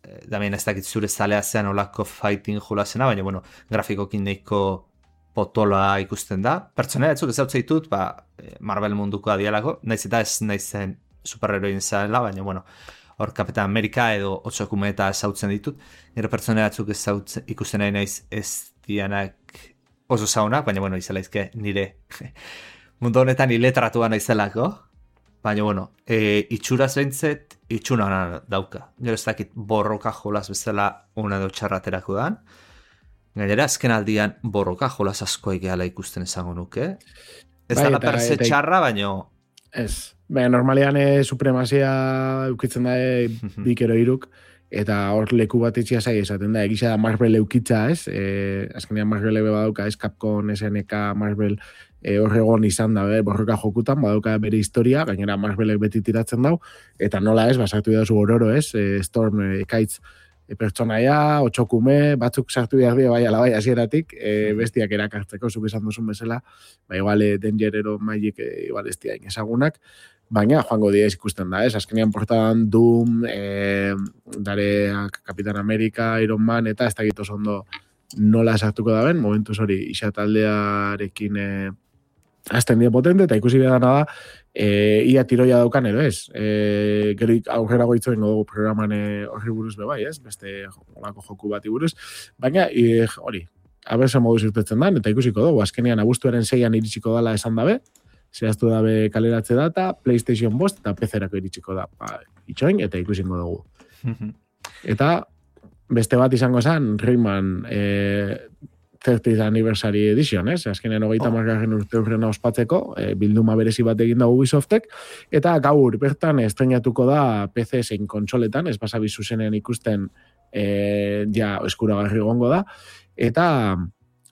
e, damien ez dakit zure zalea zean olako fighting jolasena, baina, bueno, grafikokin neiko potoloa ikusten da. Pertsonera etzuk ezautze ditut, ba, Marvel munduko adialako, naiz eta ez naizen superheroin zaela, baina, bueno, hor Kapitan Amerika edo Otsokume eta ezautzen ditut. Nire pertsonera etzuk ezautzen ikusten nahi naiz ez dianak oso zaunak, baina, bueno, izelaizke nire mundu honetan iletratua naizelako. Baina, bueno, e, itxuraz behintzet, itxuna dauka. Gero ez dakit borroka jolas bezala una edo txarraterako dan. Gainera, azken aldian borroka jolas asko egeala ikusten esango nuke. Ez bai, da perse eta, txarra, baina... Ez. Baina, normalean e, supremazia eukitzen da e, bikero iruk, eta hor leku bat etxia zai esaten da, egisa da Marvel eukitza, ez? E, azkenean Marvel ebe badauka, ez? Capcom, S N K, Marvel... E, horregon izan da, eh, borroka jokutan, badauka bere historia, gainera Marvelek beti tiratzen dau, eta nola ez, basartu dira zu ororo, ez, e, Storm, e, Ekaitz, e, pertsonaia, Otsokume, batzuk sartu behar dira, bai, ala bai, hasieratik, e, bestiak erakartzeko, zuk esan duzun bezala, ba, igual, e, Dangerero, Magic, e, igual, ez dira ezagunak, baina joango dira ikusten da, ez, azkenean portadan Doom, e, dare Kapitan Amerika, Iron Man, eta ez da gitu ondo nola sartuko da ben, momentuz hori, isa taldearekin, e, azten dira potente, eta ikusi behar da, e, ia tiroia daukan edo ez. E, gero aurrera goitzoen dugu programan horri buruz bebai, ez? Beste olako joku bati buruz. Baina, e, hori, abertzen modu zirtetzen dan, eta ikusiko dugu, azkenean abuztuaren seian iritsiko dala esan dabe, zehaztu dabe kaleratze data, PlayStation Bost eta P C-erako iritsiko da. Ba, itxoin, eta ikusiko dugu. Eta, beste bat izango zen, Rayman, e, thirtieth Anniversary Edition, ez? Azkenean hogeita margarren urte urrena ospatzeko, e, bilduma berezi bat egin da Ubisoftek, eta gaur bertan estrenatuko da P C zein kontsoletan, ez basabi zuzenean ikusten e, ja eskuragarri gongo da, eta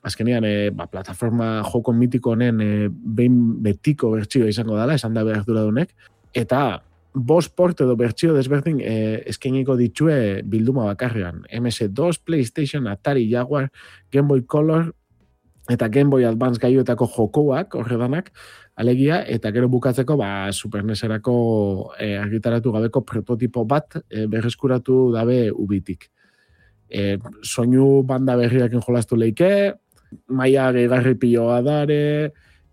azkenean e, ba, plataforma joko mitiko honen e, behin betiko bertsioa izango dela, esan da behar duradunek, eta bost port edo bertsio desberdin eh, eskainiko ditue bilduma bakarrean. M S dos, PlayStation, Atari, Jaguar, Game Boy Color eta Game Boy Advance gaioetako jokoak, horredanak, alegia, eta gero bukatzeko ba, Super N E S-erako eh, argitaratu gabeko prototipo bat eh, berreskuratu dabe ubitik. Eh, soinu banda berriakin jolastu leike, maia gehigarri piloa dare,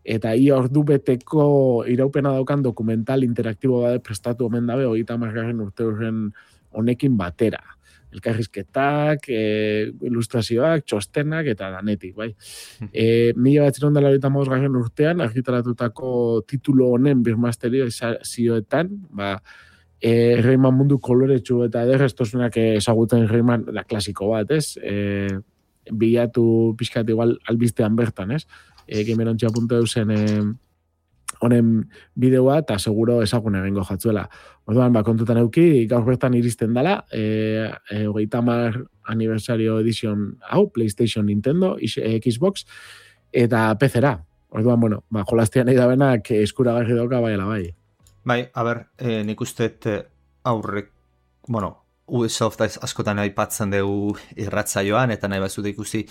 eta ia ordu beteko iraupena daukan dokumental interaktibo bat prestatu omen dabe, hogeita hamargarren urte horren honekin batera. Elkarrizketak, e, ilustrazioak, txostenak, eta danetik, bai. E, mila bat zironda laurogeita hamabosgarren urtean, argitaratutako titulo honen birmasterio zioetan, ba, e, Rayman mundu koloretsu eta ederreztosunak ezagutzen Rayman, da klasiko bat, ez? E, bilatu pixkat igual albistean bertan, ez? E, gamerontxea puntu eusen e, honen bideoa eta seguro ezagun egingo jatzuela. Orduan, ba, kontutan euki, gaur bertan iristen dela, e, e, hogeita hamar aniversario edition hau, PlayStation, Nintendo, Xbox, eta P C-ra. Orduan, bueno, ba, jolastian nahi da benak eskuragarri dauka baiela bai. Bai, a ber, eh, nik uste aurrek, bueno, Ubisoft askotan aipatzen dugu irratzaioan, eta nahi bazute ikusi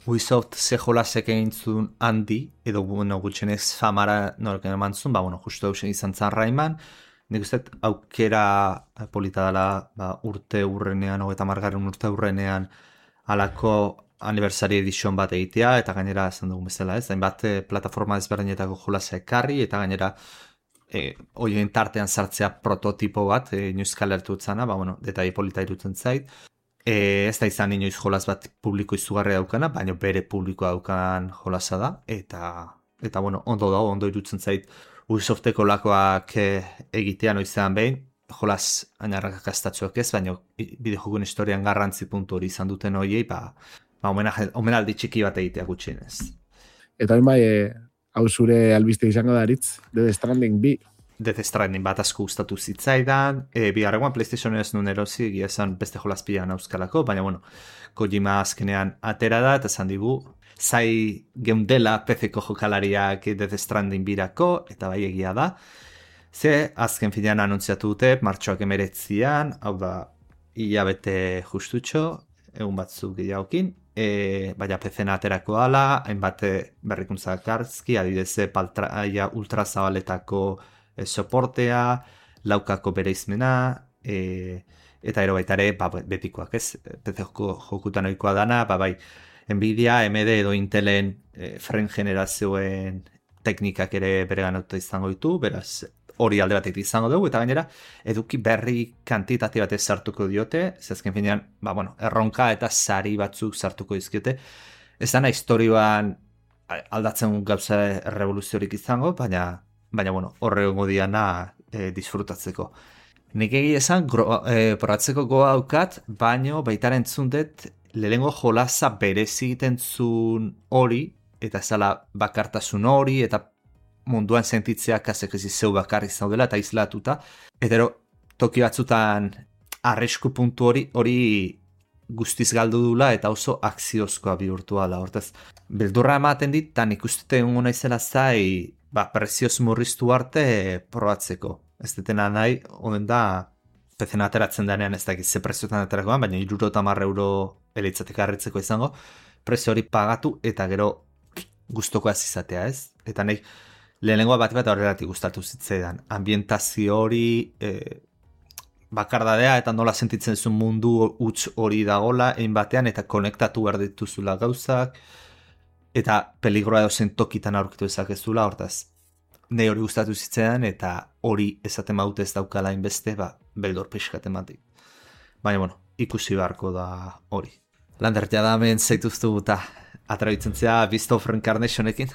Ubisoft ze jolasek egin zuen handi, edo bueno, gutxenez famara norken eman zuen, ba, bueno, justu eusen izan zan Rayman, nik uste aukera polita dela ba, urte urrenean, hogeita margarren urte urrenean, alako aniversari edition bat egitea, eta gainera esan dugun bezala, ez? Hainbat plataforma ezberdinetako jolasa ekarri, eta gainera e, oien tartean sartzea prototipo bat, e, inoiz kalertu utzana, ba, bueno, detai polita irutzen zait. E, ez da izan inoiz jolas bat publiko izugarria daukana, baina bere publikoa daukan jolasa da, eta, eta bueno, ondo dago, ondo irutzen zait Ubisofteko lakoak egitea noizean behin, jolas ainarrak akastatzuak ez, baina bideojokuen historian garrantzi puntu hori izan duten hoiei, ba, ba omenaldi txiki bat egitea gutxienez. Eta hori bai, e, hau zure albiste izango da aritz, Death Stranding bi. Death Stranding bat asko gustatu zitzaidan, e, bigarrengoan PlayStation ez nuen erosi, egia esan beste jolas pilan auskalako, baina bueno, Kojima azkenean atera da, eta esan digu, zai geundela P C-ko jokalariak Death Stranding birako, eta bai egia da. Ze, azken finean anuntziatu dute, martxoak emeretzian, hau da, hilabete justutxo, egun batzuk gehiagokin, e, baina P C-na aterako ala, hainbat berrikuntza karzki, adideze paltraia ultrazabaletako e, soportea, laukako bereizmena, e, eta ero baita ere, ba, betikoak ez, P C-ko jokutan oikoa dana, ba, bai, Nvidia, A M D edo Intelen e, frame generazioen teknikak ere bere ganatuta izango ditu, beraz, hori alde batetik izango dugu, eta gainera, eduki berri kantitate batez sartuko diote, zezken finean, ba, bueno, erronka eta sari batzuk sartuko dizkiote. Ez dana historioan aldatzen gauza revoluziorik izango, baina, baina bueno, horre gongo diana e, disfrutatzeko. Nik egi esan, gro, e, probatzeko goa daukat, baino baitaren entzundet, lehengo jolasa berezi egiten zuen hori, eta zala bakartasun hori, eta munduan sentitzea kasek ez zeu bakarri zaudela eta islatuta, eta toki batzutan arrisku puntu hori hori guztiz galdu dula eta oso akziozkoa bihurtu ala. Hortaz, beldurra ematen dit, eta nik ustete egongo naizela zai, ba, prezioz murriztu arte probatzeko. Ez detena nahi, honen da, P C-na ateratzen denean ez dakit ze prezioetan aterakoan, baina iruro eta marre euro eleitzatek harritzeko izango, prezio hori pagatu eta gero gustokoaz izatea ez. Eta nahi, lehenengoa bat bat horregatik gustatu zitzaidan. Ambientazio hori, e, bakardadea eta nola sentitzen zuen mundu huts hori dagola, egin batean eta konektatu behar dituzula gauzak, eta peligroa dozen tokitan aurkitu ezakezula, hortaz. Nei hori gustatu zitzaidan eta hori esaten baute ez daukala inbeste, ba, beldor pixkat ematik. Baina, bueno, ikusi beharko da hori. Landertea da hemen zaituztu eta atrabitzen zea Beast of Reincarnationekin.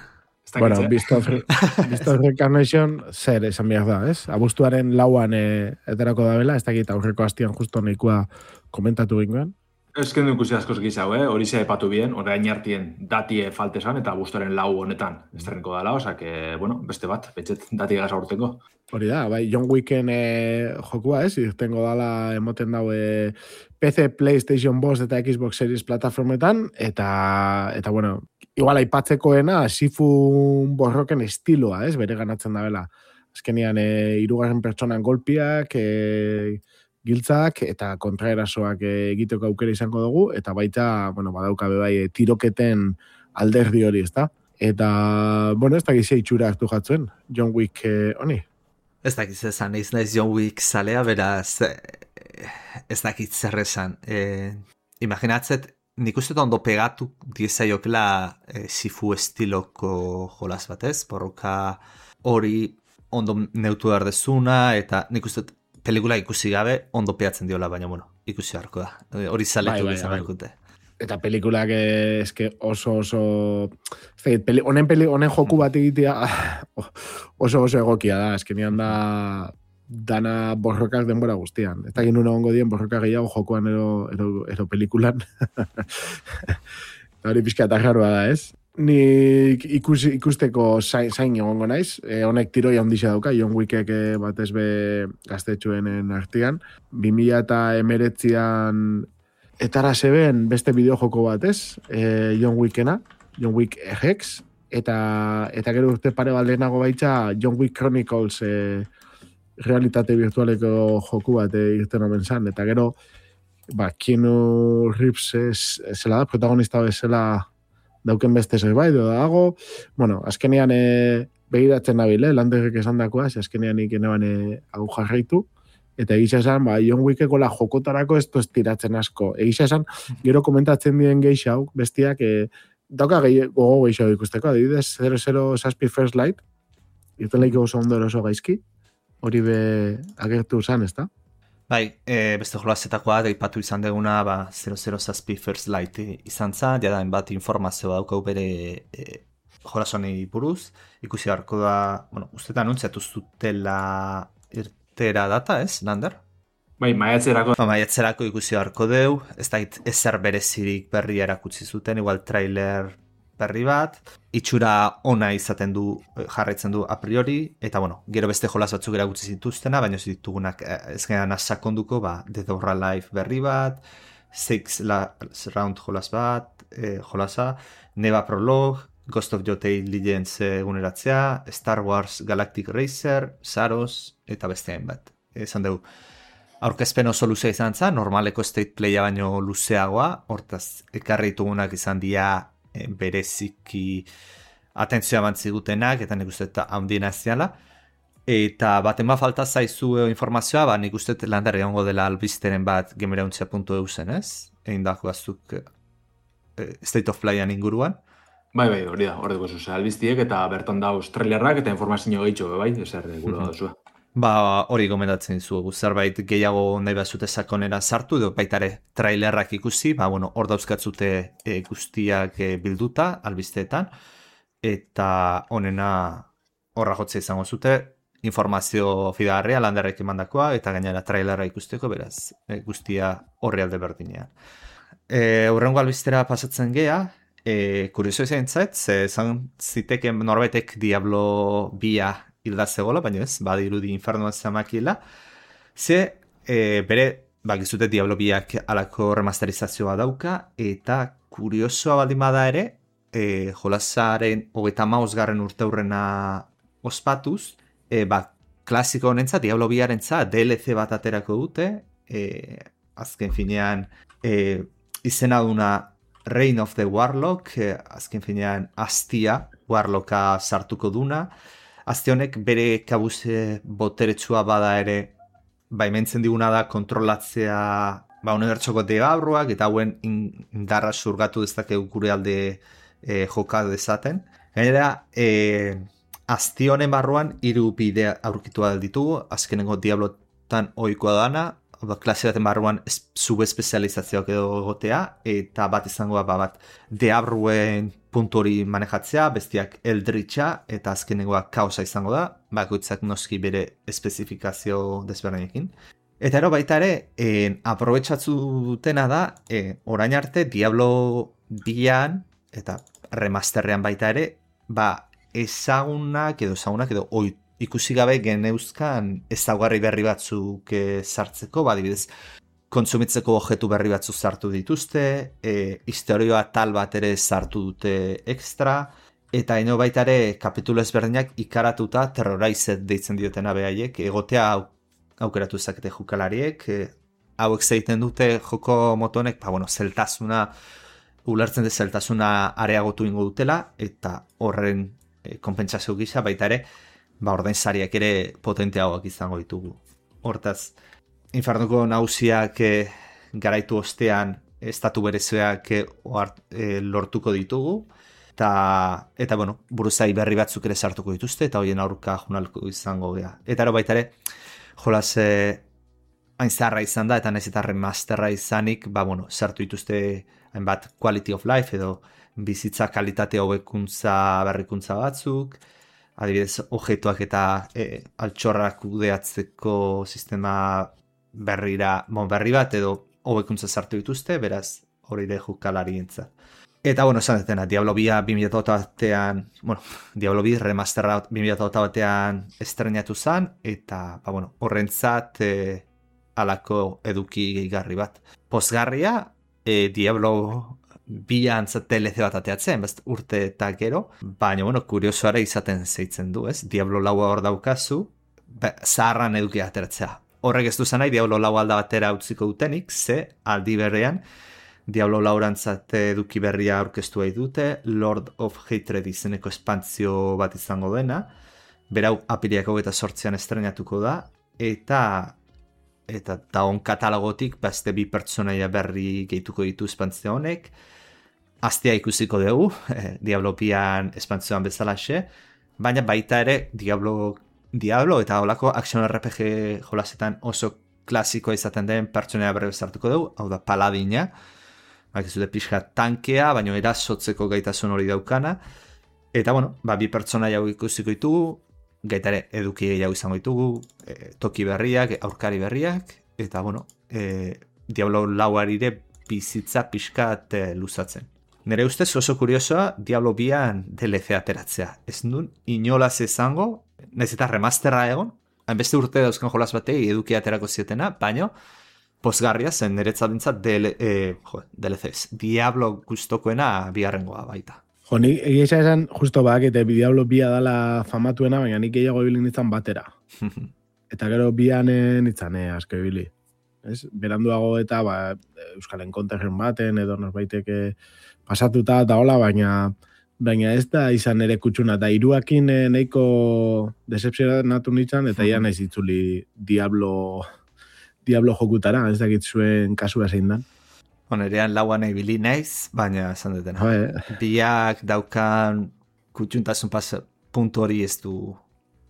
Bueno, Beast of, Beast of Reincarnation zer esan behar da, ez? Abuztuaren lauan e, eterako da bela, ez dakit aurreko hastian justo nahikoa komentatu gingoen. Ez kendu ikusi askoz gizau, eh? Hori ze epatu bien, orain hartien datie faltesan eta abuztuaren lau honetan estreniko dela, osak, e, bueno, beste bat, betxet dati gaza urteko. Hori da, bai, John Wicken e, jokua, ez? Irtengo dala emoten dau e, P C, PlayStation bost eta Xbox Series plataformetan, eta, eta bueno, igual aipatzekoena Sifun borroken estiloa, ez? Bere ganatzen da bela. Azkenian, e, irugarren pertsonan golpiak, e, giltzak eta kontraerasoak egiteko aukera izango dugu, eta baita, bueno, badauka bebai, tiroketen alderdi hori, ezta? Eta, bueno, ez dakizia itxura hartu jatzuen, John Wick eh, honi. Ez dakiz esan, ez naiz John Wick zalea, beraz, ez dakit zer esan. E, imaginatzet, nik uste ondo pegatu diezaiokela e, Sifu estiloko jolas batez, borroka hori ondo neutu erdezuna, eta nik uste pelikula ikusi gabe ondo peatzen diola, baina bueno, ikusi harko da. Hori zaletu bai, bai, bai. Eta pelikulak eske oso oso peli, honen peli, honen joku bat egitea oso oso egokia da, eskenean da dana borrokak denbora guztian. Eta egin una ongo dien borroka gehiago jokuan ero, ero, ero pelikulan. Eta hori pixka eta jarroa da, ez? Ni ikus, ikusteko zain, zain egongo naiz. E, honek tiroia handixa dauka, John Wickek e, batez be gaztetxoenen artean. bi mila emeretzian etara zeben beste bideojoko bat, ez? E, John Wickena, John Wick Hex, eta eta gero urte pare baldenago baitza John Wick Chronicles e, realitate virtualeko joku bat e, irten omen zan. Eta gero, ba, Keanu Reeves ez, zela da, protagonista bezala dauken beste zerbait, edo dago, bueno, azkenean e, begiratzen nabil, eh, landerrek esan dakoa, azkenean ikenean e, hau jarraitu, eta egisa esan, ba, John Wickeko la jokotarako ez toz tiratzen asko. Egisa esan, gero komentatzen dien geixau, bestiak, e, dauka gehi, gogo geixau ikusteko, adibidez, zero zero Saspi First Light, irten lehiko oso ondo eroso gaizki, hori be agertu zan, ez da? Bai, e, beste jolazetakoa, daipatu izan deguna, ba, zero zero Saspi First Light izan zan, diadain bat informazioa daukau bere e, jolazonei buruz, ikusi beharko da, bueno, uste anuntziatu zutela irtera data, ez, Lander? Bai, maiatzerako. Ba, maiatzerako ikusi beharko deu, ez da ezer berezirik berri erakutsi zuten, igual trailer berri bat, itxura ona izaten du, jarraitzen du a priori, eta bueno, gero beste jolaz batzuk erakutsi zituztena, baina ez ditugunak ez gehan sakonduko, ba, Dead or Alive berri bat, Six la, Round jolaz bat, eh, jolaza, Neva Prologue, Ghost of Yotei Legends eguneratzea, Star Wars Galactic Racer, Saros, eta beste hainbat. Esan dugu, aurkezpen oso luzea izan zen, normaleko state playa baino luzeagoa, hortaz, ekarri ditugunak izan dira e, bereziki atentzioa bantzigutenak, eta nik uste eta handien aziala. Eta baten bat falta zaizu informazioa, ba, nik uste Lander egongo dela albisteren bat gemerauntzia puntu eu zen, ez? Egin dako azuk e, State of Playan inguruan. Bai, bai, hori da, hori dugu zuzea albiztiek, eta bertan da australiarrak, eta informazio gehitxo, bai, ezer gure da zua. Ba, hori gomendatzen zuegu, zerbait gehiago nahi bazute sakonera sartu, edo baitare trailerrak ikusi, ba, bueno, hor dauzkatzute e, guztiak e, bilduta, albizteetan, eta honena horra jotze izango zute, informazio fidagarria Landerrek emandakoa, eta gainera trailerra ikusteko, beraz, e, guztia horri alde berdinean. E, Horrengo albiztera pasatzen gea, e, kurioso izan zait, ze zan ziteken norbaitek Diablo bia hilda zegoela, baina ez, badirudi infernoan zamakila. Ze, e, bere, bakizute Diablo biak alako remasterizazioa dauka, eta kuriosoa baldin bada ere, e, jolazaren hogeita mausgarren urte hurrena ospatuz, e, ba, klasiko honentza, Diablo biarentza, D L C bat aterako dute, e, azken finean, e, izena duna Reign of the Warlock, e, azken finean, Astia Warlocka sartuko duna, Azte honek bere kabuze boteretsua bada ere, baimentzen diguna da kontrolatzea ba, unibertsoko degabruak eta hauen indarra surgatu dezakegu gure alde e, joka dezaten. Gainera, e, azte honen barruan hiru bidea aurkitu ditugu, azkenengo Diablotan ohikoa dana, klase baten barruan subespezializazioak edo egotea, eta bat izango ba, bat deabruen puntu hori manejatzea, bestiak eldritxa, eta azkenengoa kaosa izango da, bakoitzak noski bere espezifikazio desberdinekin. Eta ero baita ere, en, aprobetxatzu dutena da, en, orain arte Diablo bian, eta remasterrean baita ere, ba, ezagunak edo ezagunak edo oitu, ikusi gabe geneuzkan ezaugarri berri batzuk e, sartzeko, badibidez, kontsumitzeko objektu berri batzuk sartu dituzte, e, historioa tal bat ere sartu dute ekstra, eta ino baita ere kapitulo ezberdinak ikaratuta Terrorized deitzen diotena behaiek, egotea au, aukeratu ezakete jokalariek, e, hauek zeiten dute joko motonek, ba, bueno, zeltasuna, ulertzen de zeltasuna areagotu ingo dutela, eta horren e, konpentsazio gisa baita ere, ba, ordain sariak ere potenteagoak izango ditugu. Hortaz, Infernuko nagusiak e, garaitu ostean estatu berezuak e, e, lortuko ditugu, eta, eta bueno, buruzai berri batzuk ere sartuko dituzte, eta hoien aurka junalko izango gea. Eta ero baita ere, jolaz e, hain zaharra izan da, eta nahiz eta remasterra izanik, ba, bueno, sartu dituzte hainbat quality of life, edo bizitza kalitate hobekuntza berrikuntza batzuk, adibidez, objektuak eta e, altxorrak kudeatzeko sistema berrira, bon, berri bat edo hobekuntza sartu dituzte, beraz hori de jokalarientzat. Eta, bueno, esan dena, Diablo bia bi mila hogeita batean, bueno, Diablo bi remasterra bi mila hogeita batean estrenatu zen, eta, ba, bueno, horrentzat e, alako eduki gehigarri bat. Pozgarria, e, Diablo bila antzat D L C bat ateatzen, best urte eta gero, baina, bueno, kuriosoare izaten zeitzen du, ez? Diablo laua hor daukazu, be, zaharran eduki ateratzea. Horrek ez duzan nahi, Diablo lau alda batera utziko dutenik, ze aldi berrean, Diablo laurantzat eduki berria aurkeztu nahi dute, Lord of Hatred izeneko espantzio bat izango dena, berau apiriak hogeita sortzean estrenatuko da, eta eta daun katalogotik beste bi pertsonaia berri gehituko ditu espantzio honek, aztea ikusiko dugu, eh, Diablo bian espantzioan bezalaxe, baina baita ere Diablo, Diablo eta holako action R P G jolasetan oso klasikoa izaten den pertsonaia berri bezartuko dugu, hau da paladina, bak ez dute pixka tankea, baina erasotzeko gaitasun hori daukana, eta bueno, ba, bi pertsonaia ikusiko ditugu, gaitare eduki gehiago izango ditugu, e, toki berriak, aurkari berriak, eta bueno, e, Diablo lauarire bizitza pixkat e, luzatzen. Nere ustez oso kuriosoa Diablo bian D L C ateratzea. Ez nun inolaz izango, nahiz eta remasterra egon, hainbeste urte dauzkan jolas batei eduki aterako zietena, baina pozgarria zen niretzat dintzat D L C ez. Diablo gustokoena bigarrengoa baita. Jo, nik egia esan, justo bakete, Diablo bia dala famatuena, baina nik gehiago ibili nintzen batera. Eta gero bian nintzen, eh, asko ibili. Ez? Beranduago eta ba, Euskal Enkonterren baten, edo norbaiteke pasatuta eta hola, baina baina ez da izan ere kutsuna. Eta hiruakin eh, nahiko decepzionatu nintzen, eta ia naiz itzuli Diablo, Diablo jokutara, ez dakit zuen kasua zein dan. Onerean lauan ibili naiz, baina esan dutena. Joe. Biak daukan kutxuntasun pas puntu hori ez du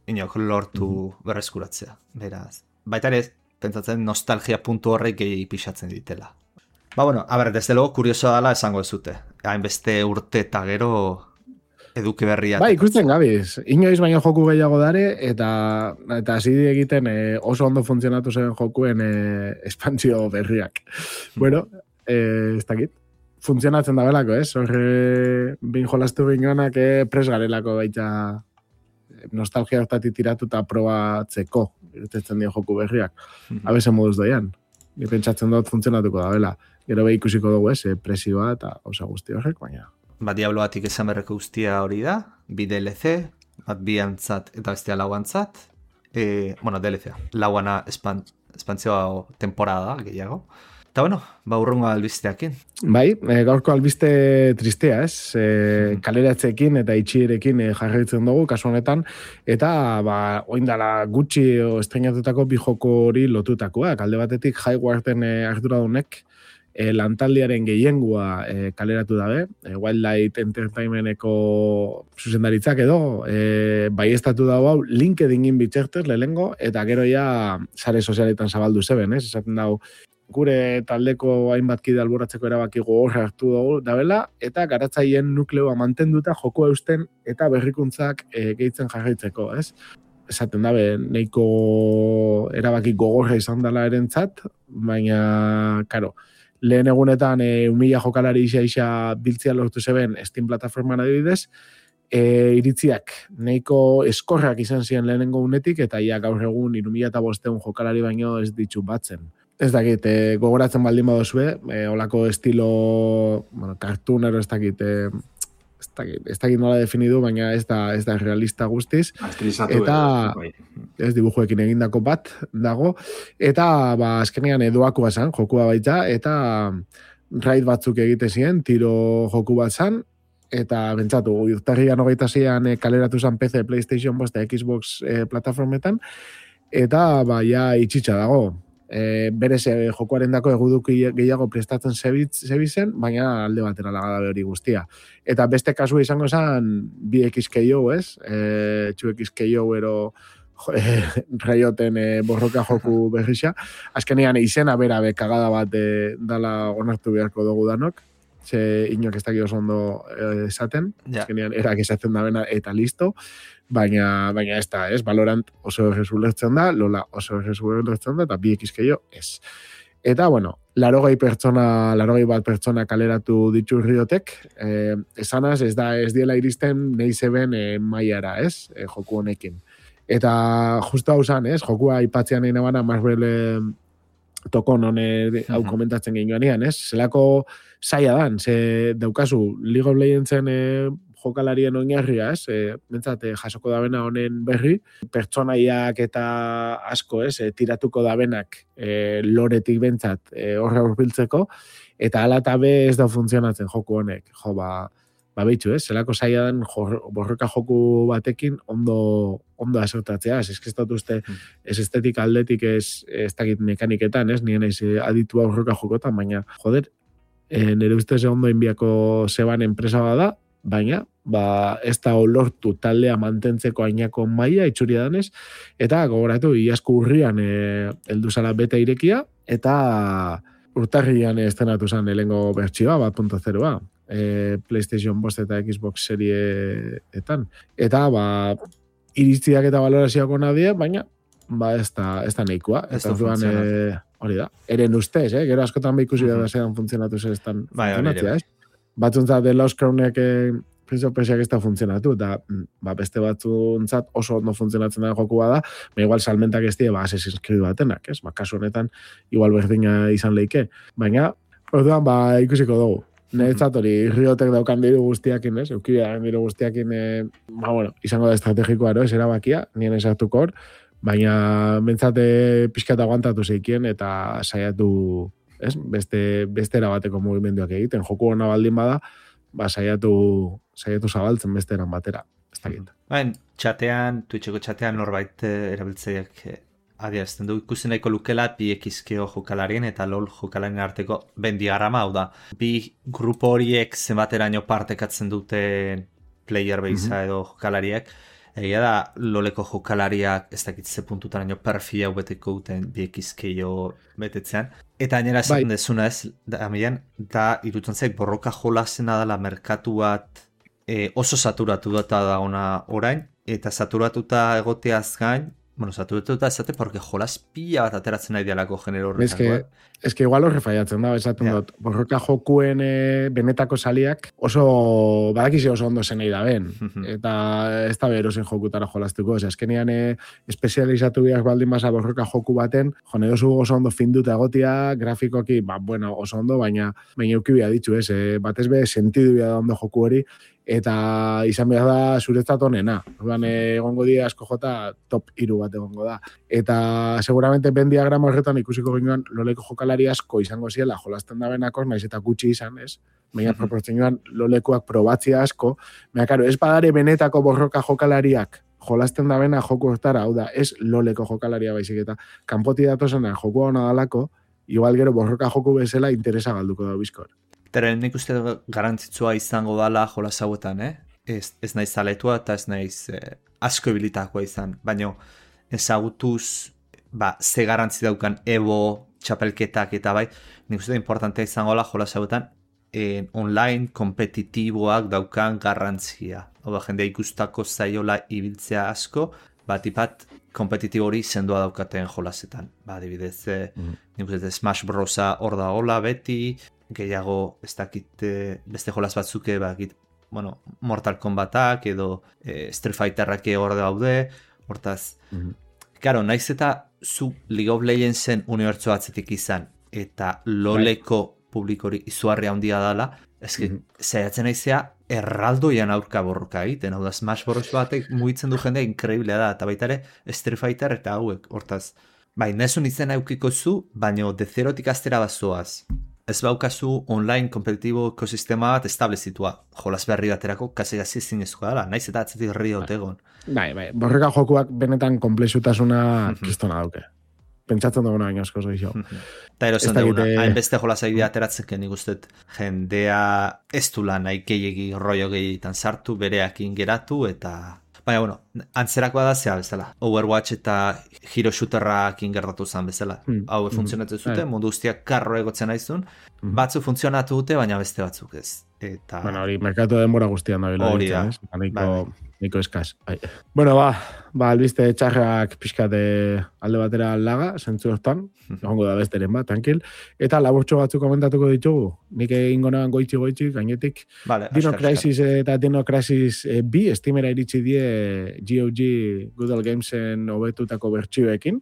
inok lortu mm-hmm. berreskuratzea. Beraz, baita ere, pentsatzen nostalgia puntu horrek gehi pixatzen ditela. Ba, bueno, a ber, desde logo, kuriosoa dela esango ez dute. Hainbeste urte eta gero eduki berria. Ba, ikusten gabiz. Inoiz baino joku gehiago dare, eta eta hasi egiten eh, oso ondo funtzionatu zen jokuen eh, espantzio berriak. Bueno, eh, ez dakit. Funtzionatzen da belako, ez? Horre, bin jolastu bingoanak eh, pres garelako baita nostalgia hortatik tiratu eta probatzeko irtetzen dio joku berriak. Mm-hmm. Abese moduz doian. Ni pentsatzen dut funtzionatuko da bela. Gero behi ikusiko dugu ez, eh, presioa eta osa guzti horrek, baina... Ba, Diabloatik esan berreko guztia hori da, bi D L C, bat bi antzat eta bestea lauantzat. E, bueno, D L C, lauana espan, espantzioa temporada gehiago. Eta bueno, ba, urrungo albisteakin. Bai, e, gaurko albiste tristea, ez? E, mm. Kaleratzeekin eta itxierekin e, jarraitzen dugu, kasu honetan, eta ba, oindala gutxi estrenatutako bi joko hori lotutakoak. Alde batetik Highwarden e, arduradunek e, lantaldiaren gehiengua e, kaleratu dabe, e, Wildlight Entertainmenteko zuzendaritzak edo, e, bai estatu dago hau LinkedInin bitzertez lehengo, eta gero ja sare sozialetan zabaldu zeben, ez? Esaten dago, gure taldeko hainbat kide alboratzeko erabaki gogorra hartu dugu dabela, eta garatzaileen nukleoa mantenduta joko eusten eta berrikuntzak e, gehitzen jarraitzeko, ez? Esaten dabe, nahiko erabaki gogorra izan dela erentzat, baina, karo, lehen egunetan e, umila jokalari isa-isa biltzia lortu zeben Steam plataforman adibidez, e, iritziak nahiko eskorrak izan ziren lehenengo unetik, eta ia gaur egun irumila eta bosteun jokalari baino ez ditu batzen. Ez dakit, e, gogoratzen baldin badozue, e, olako estilo, bueno, cartoonero ez dakit, e, ez dakit, ez dakit nola definidu, baina ez da, ez da realista guztiz. Estilizatu eta edo, ez dibujuekin egindako bat dago, eta ba, azkenean edoakoa zan, jokua baita, eta raid batzuk egite ziren, tiro joku bat zan, eta bentsatu, urtarrian hogeita zian e, kaleratu zan P C, PlayStation, bosta, Xbox e, plataformetan, eta ba, ja itxitxa dago. E, berez e, jokoaren dako eguduki gehiago prestatzen zebizen, baina alde batera lagadabe hori guztia. Eta beste kasu izango zen bi X K O, ez? E, two X K O ero e, raioten e, borroka joku berrixa. Azkenean izena bera bekagada bat e, dala onartu beharko dugu danok. Ze inok ez dakit oso ondo e, esaten. Yeah. Azkenean erak esaten da bena eta listo. Baina, baina ez da, ez? Valorant oso errezu lertzen da, Lola oso errezu lertzen da, eta bi X K O ez. Eta, bueno, larogei pertsona, larogei bat pertsona kaleratu ditu Riotek, eh, esanaz ez da ez diela iristen nahi zeben eh, mailara, ez, eh, joku honekin. Eta justo hau zan, ez, jokua ipatzean nahi nabana Marvel tokon hone hau komentatzen genioanean, ez, zelako zaila dan, ze daukazu League of Legendsen eh, jokalarien oinarria, ez, e, bentsat, e, jasoko dabena honen berri, pertsonaiak eta asko, ez, e, tiratuko dabenak e, loretik bentsat e, horra urbiltzeko, eta ala eta be ez da funtzionatzen joku honek, jo, ba, ba behitxu, ez, zelako zaila den borroka joku batekin ondo, ondo asertatzea, ez, ez dut uste, ez estetik aldetik ez, ez dakit mekaniketan, ez, nien ez aditua borroka jokotan, baina, joder, e, nire ustez ondo inbiako zeban enpresa bada, baina, ba, ez da olortu taldea mantentzeko ainako maila itxuria danez, eta gogoratu, iazko urrian e, eldu zala beta irekia, eta urtarrian estenatu zen elengo bertsioa, bat punto zeroa, e, PlayStation bost eta Xbox serieetan. Eta, ba, iritziak eta valorazioak ona die, baina, ba, ez da, ez da nahikoa. Ez da funtzionatu. E, hori da, eren ustez, eh? Gero askotan behikusi uh-huh. da zedan funtzionatu zer ez dan funtzionatzea, ez? Batzuntzat The Lost Crownek eh, Prince of Persia ez da funtzionatu, eta ba, beste batzuntzat oso ondo funtzionatzen da jokua da, ba, igual salmentak ez die, ba, Assassin's Creed batenak, ez? Ba, kasu honetan, igual berdina izan leike. Baina, orduan, ba, ikusiko dugu. Neretzat hori, Riotek daukan diru guztiakin, ez? Eukibia diru guztiakin, eh, ba, bueno, izango da estrategikoa, ero, ez erabakia, nien esartuko hor, baina mentzate pixkat aguantatu zeikien, eta saiatu, ez? Beste, beste erabateko mugimenduak egiten. Joku hona baldin bada, ba, saiatu, saiatu zabaltzen beste eran batera. Ez dakit. Bain, txatean, Twitcheko txatean norbait erabiltzaileak adierazten du. Ikusi nahiko lukela bi ekizkeo jokalarien eta LOL jokalarien arteko bendigarama, hau da. Bi grupo horiek zenbateraino partekatzen duten player base mm-hmm. edo jokalariak. Egia da, loleko jokalariak ez dakit ze puntutaraino perfil hau beteko duten bi ekizkeo betetzean. Eta gainera esaten bai. Dezuna ez, da, amian, da irutzen zaik borroka jolasena dela merkatu bat e, oso saturatu data da ona orain, eta saturatuta egoteaz gain, bueno, saturatuta ezate, porque jolas pila bat ateratzen nahi dialako genero horretako. Ez que, es que igual horre faiatzen da, esaten yeah. dut, borroka jokuen e, benetako saliak oso, badakizi oso ondo zenei da ben, eta ez da berozen jokutara jolastuko, ose, azkenean e, espezializatu biak baldin basa borroka joku baten, jone dozu oso ondo finduta egotia, grafikoki, ba, bueno, oso ondo, baina baina eukibia ditzu, ez, e, batez be, sentidu bia da ondo joku hori, eta izan behar da zuretzat honena. Orduan egongo dira asko jota top hiru bat egongo da. Eta seguramente ben diagrama horretan ikusiko ginoan loleko jokalari asko izango ziela jolasten da benakos, naiz eta gutxi izan, ez? Baina mm-hmm. proportzioan lolekoak probatzia asko. Baina, karo, ez badare benetako borroka jokalariak jolasten da bena joku hortara, hau da, ez loleko jokalaria baizik eta kanpoti datozena joku hona dalako, igual gero borroka joku bezala interesa galduko da bizkor. Teren nik uste garantzitsua izango dala jolas hauetan, eh? Ez, ez naiz zaletua eta ez naiz eh, asko ebilitakoa izan, baina ezagutuz ba, ze garantzi daukan ebo, txapelketak eta bai, nik uste importantea izango dala jolas hauetan eh, online kompetitiboak daukan garrantzia. Oda, jendea ikustako zaiola ibiltzea asko, bat ipat kompetitibo hori sendoa daukaten jolasetan. Ba, adibidez, eh, mm. nik uste Smash Brosa hor da hola beti, gehiago ez dakit beste jolas batzuke bakit, bueno, Mortal Kombatak edo e, Street Fighterrak hor daude, hortaz mm-hmm. Claro, naiz eta zu League of Legendsen unibertso atzetik izan eta loleko right. publikori izuarria handia dala, eski mm-hmm. zaiatzen naizea erraldoian aurka borroka egiten, hau da Smash Bros batek mugitzen du jendea inkreiblea da, eta baita ere Street Fighter eta hauek, hortaz bai, nezun izan aukiko zu, baino de zerotik astera bazoaz. Ez baukazu online kompetitibo ekosistema bat establezitua. Jolas berri baterako kasi gazi zinezkoa dela. Naiz eta atzetik herri otegon. Bai, bai. Borreka jokuak benetan komplexutasuna kristona dauke. Pentsatzen duguna baina asko zoizo. Eta erozen duguna. Hainbeste jolas egidea ateratzen nik ustet jendea ez du lan nahi gehiagi rollo gehiegitan sartu, bereakin geratu eta... Baina, bueno, antzerakoa da zea bezala. Overwatch eta Hero Shooterrak ingertatu zen bezala. Mm. Hau funtzionatzen zuten, mm. mundu guztiak karro egotzen aizun. Mm. Batzu funtzionatu dute, baina beste batzuk ez. Eta... Bueno, hori, merkatu denbora guztian da. Hori da. Aniko... niko eskaz. Ai. Bueno, ba, ba, albiste txarrak pixkate alde batera laga, zentzu hortan, egongo da besteren ba, tankil. Eta laburtxo batzuk komentatuko ditugu, nik egingo nahan goitzi-goitzi, gainetik. Vale, Dino askar, Crisis eta Dino Crisis e, bi, estimera iritsi die G O G Good Old Gamesen hobetutako bertsioekin,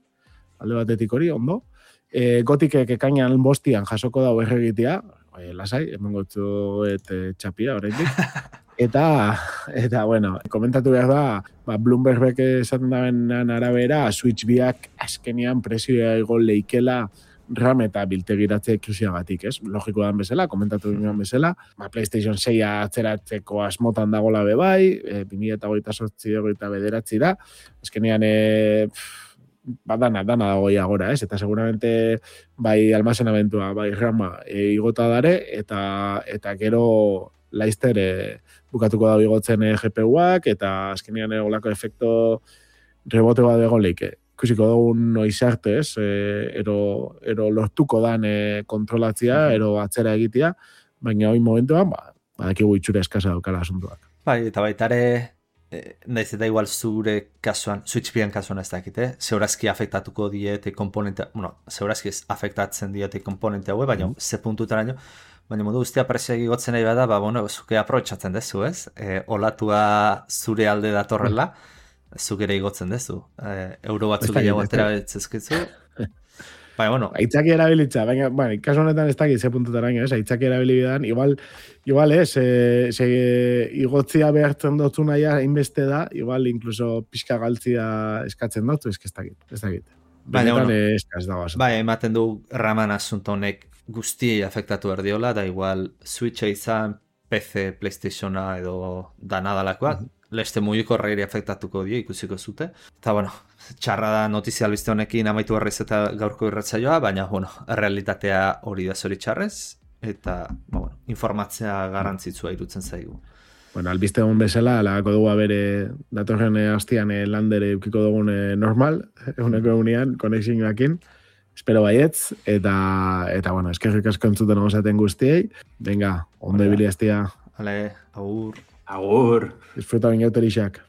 alde batetik hori, ondo. E, gotikek ekainan bostian jasoko da berregitea, e, lasai, hemen gotzu et e, txapia, horretik. Eta, eta, bueno, komentatu behar da, ba, Bloomberg esaten dabenan arabera, Switch biak azkenean presioa ego leikela RAM eta biltegiratze eklusiagatik, ez? Logiko dan bezala, komentatu ginen bezala, ba, PlayStation sei atzeratzeko asmotan dagola bebai, e, bi mila hogeita zortzi hogeita bederatzi da, azkenean, e, ba, dana, dana dago agora, ez? Eta seguramente bai almazenamentua, bai rama e, igota dare, eta, eta gero laizter e, bukatuko da bigotzen e, G P U-ak, eta azkenean olako efekto rebote bat egon leike. Ikusiko dugu noiz arte, ez? E, ero, ero lortuko dan e, kontrolatzia, ero atzera egitea, baina hoi momentuan, ba, badakigu itxura eskasa daukala asuntuak. Bai, eta baitare, e, naiz eta igual zure kasuan, Switch bian kasuan ez dakit, eh? Zeurazki afektatuko diete komponente, bueno, zeurazki afektatzen diete komponente hau, baina mm. ze puntutaraino, baina modu guztia presioak igotzen nahi bada, ba, bueno, zuke aprobetxatzen dezu, ez? E, olatua zure alde datorrela, zuk ere igotzen dezu. E, euro batzuk gehiago atera betzezkitzu. Baina, bueno. Aitzaki erabilitza, baina, bueno, kasu honetan ez dakit ze puntutaraino, ez? Aitzaki erabilidan, igual, igual ez, e, se, igotzia behartzen dutzu naia inbeste da, igual, incluso pixka galtzia eskatzen dutzu, ez dakit, ez dakit. Baina, bueno, eskaz dago. Bai, ematen du raman asunto honek guztiei afektatu erdiola, da igual Switcha izan, P C, PlayStationa edo danadalakoak, mm -hmm. leste mugiko reiri afektatuko die, ikusiko zute. Eta, bueno, txarra da notizia albiste honekin amaitu berriz eta gaurko irratsaioa, baina, bueno, realitatea hori da zori txarrez, eta, bueno, informatzea garrantzitsua irutzen zaigu. Bueno, albiste egon bezala, lagako dugu bere datorren hastian e, landere eukiko dugun e, normal, eguneko egunean, konexioakin. Espero baietz, eta, eta bueno, eskerrik asko entzuten osaten guztiei. Venga, ondo ibili hastia. Vale, agur. Agur. Disfruta binauterixak.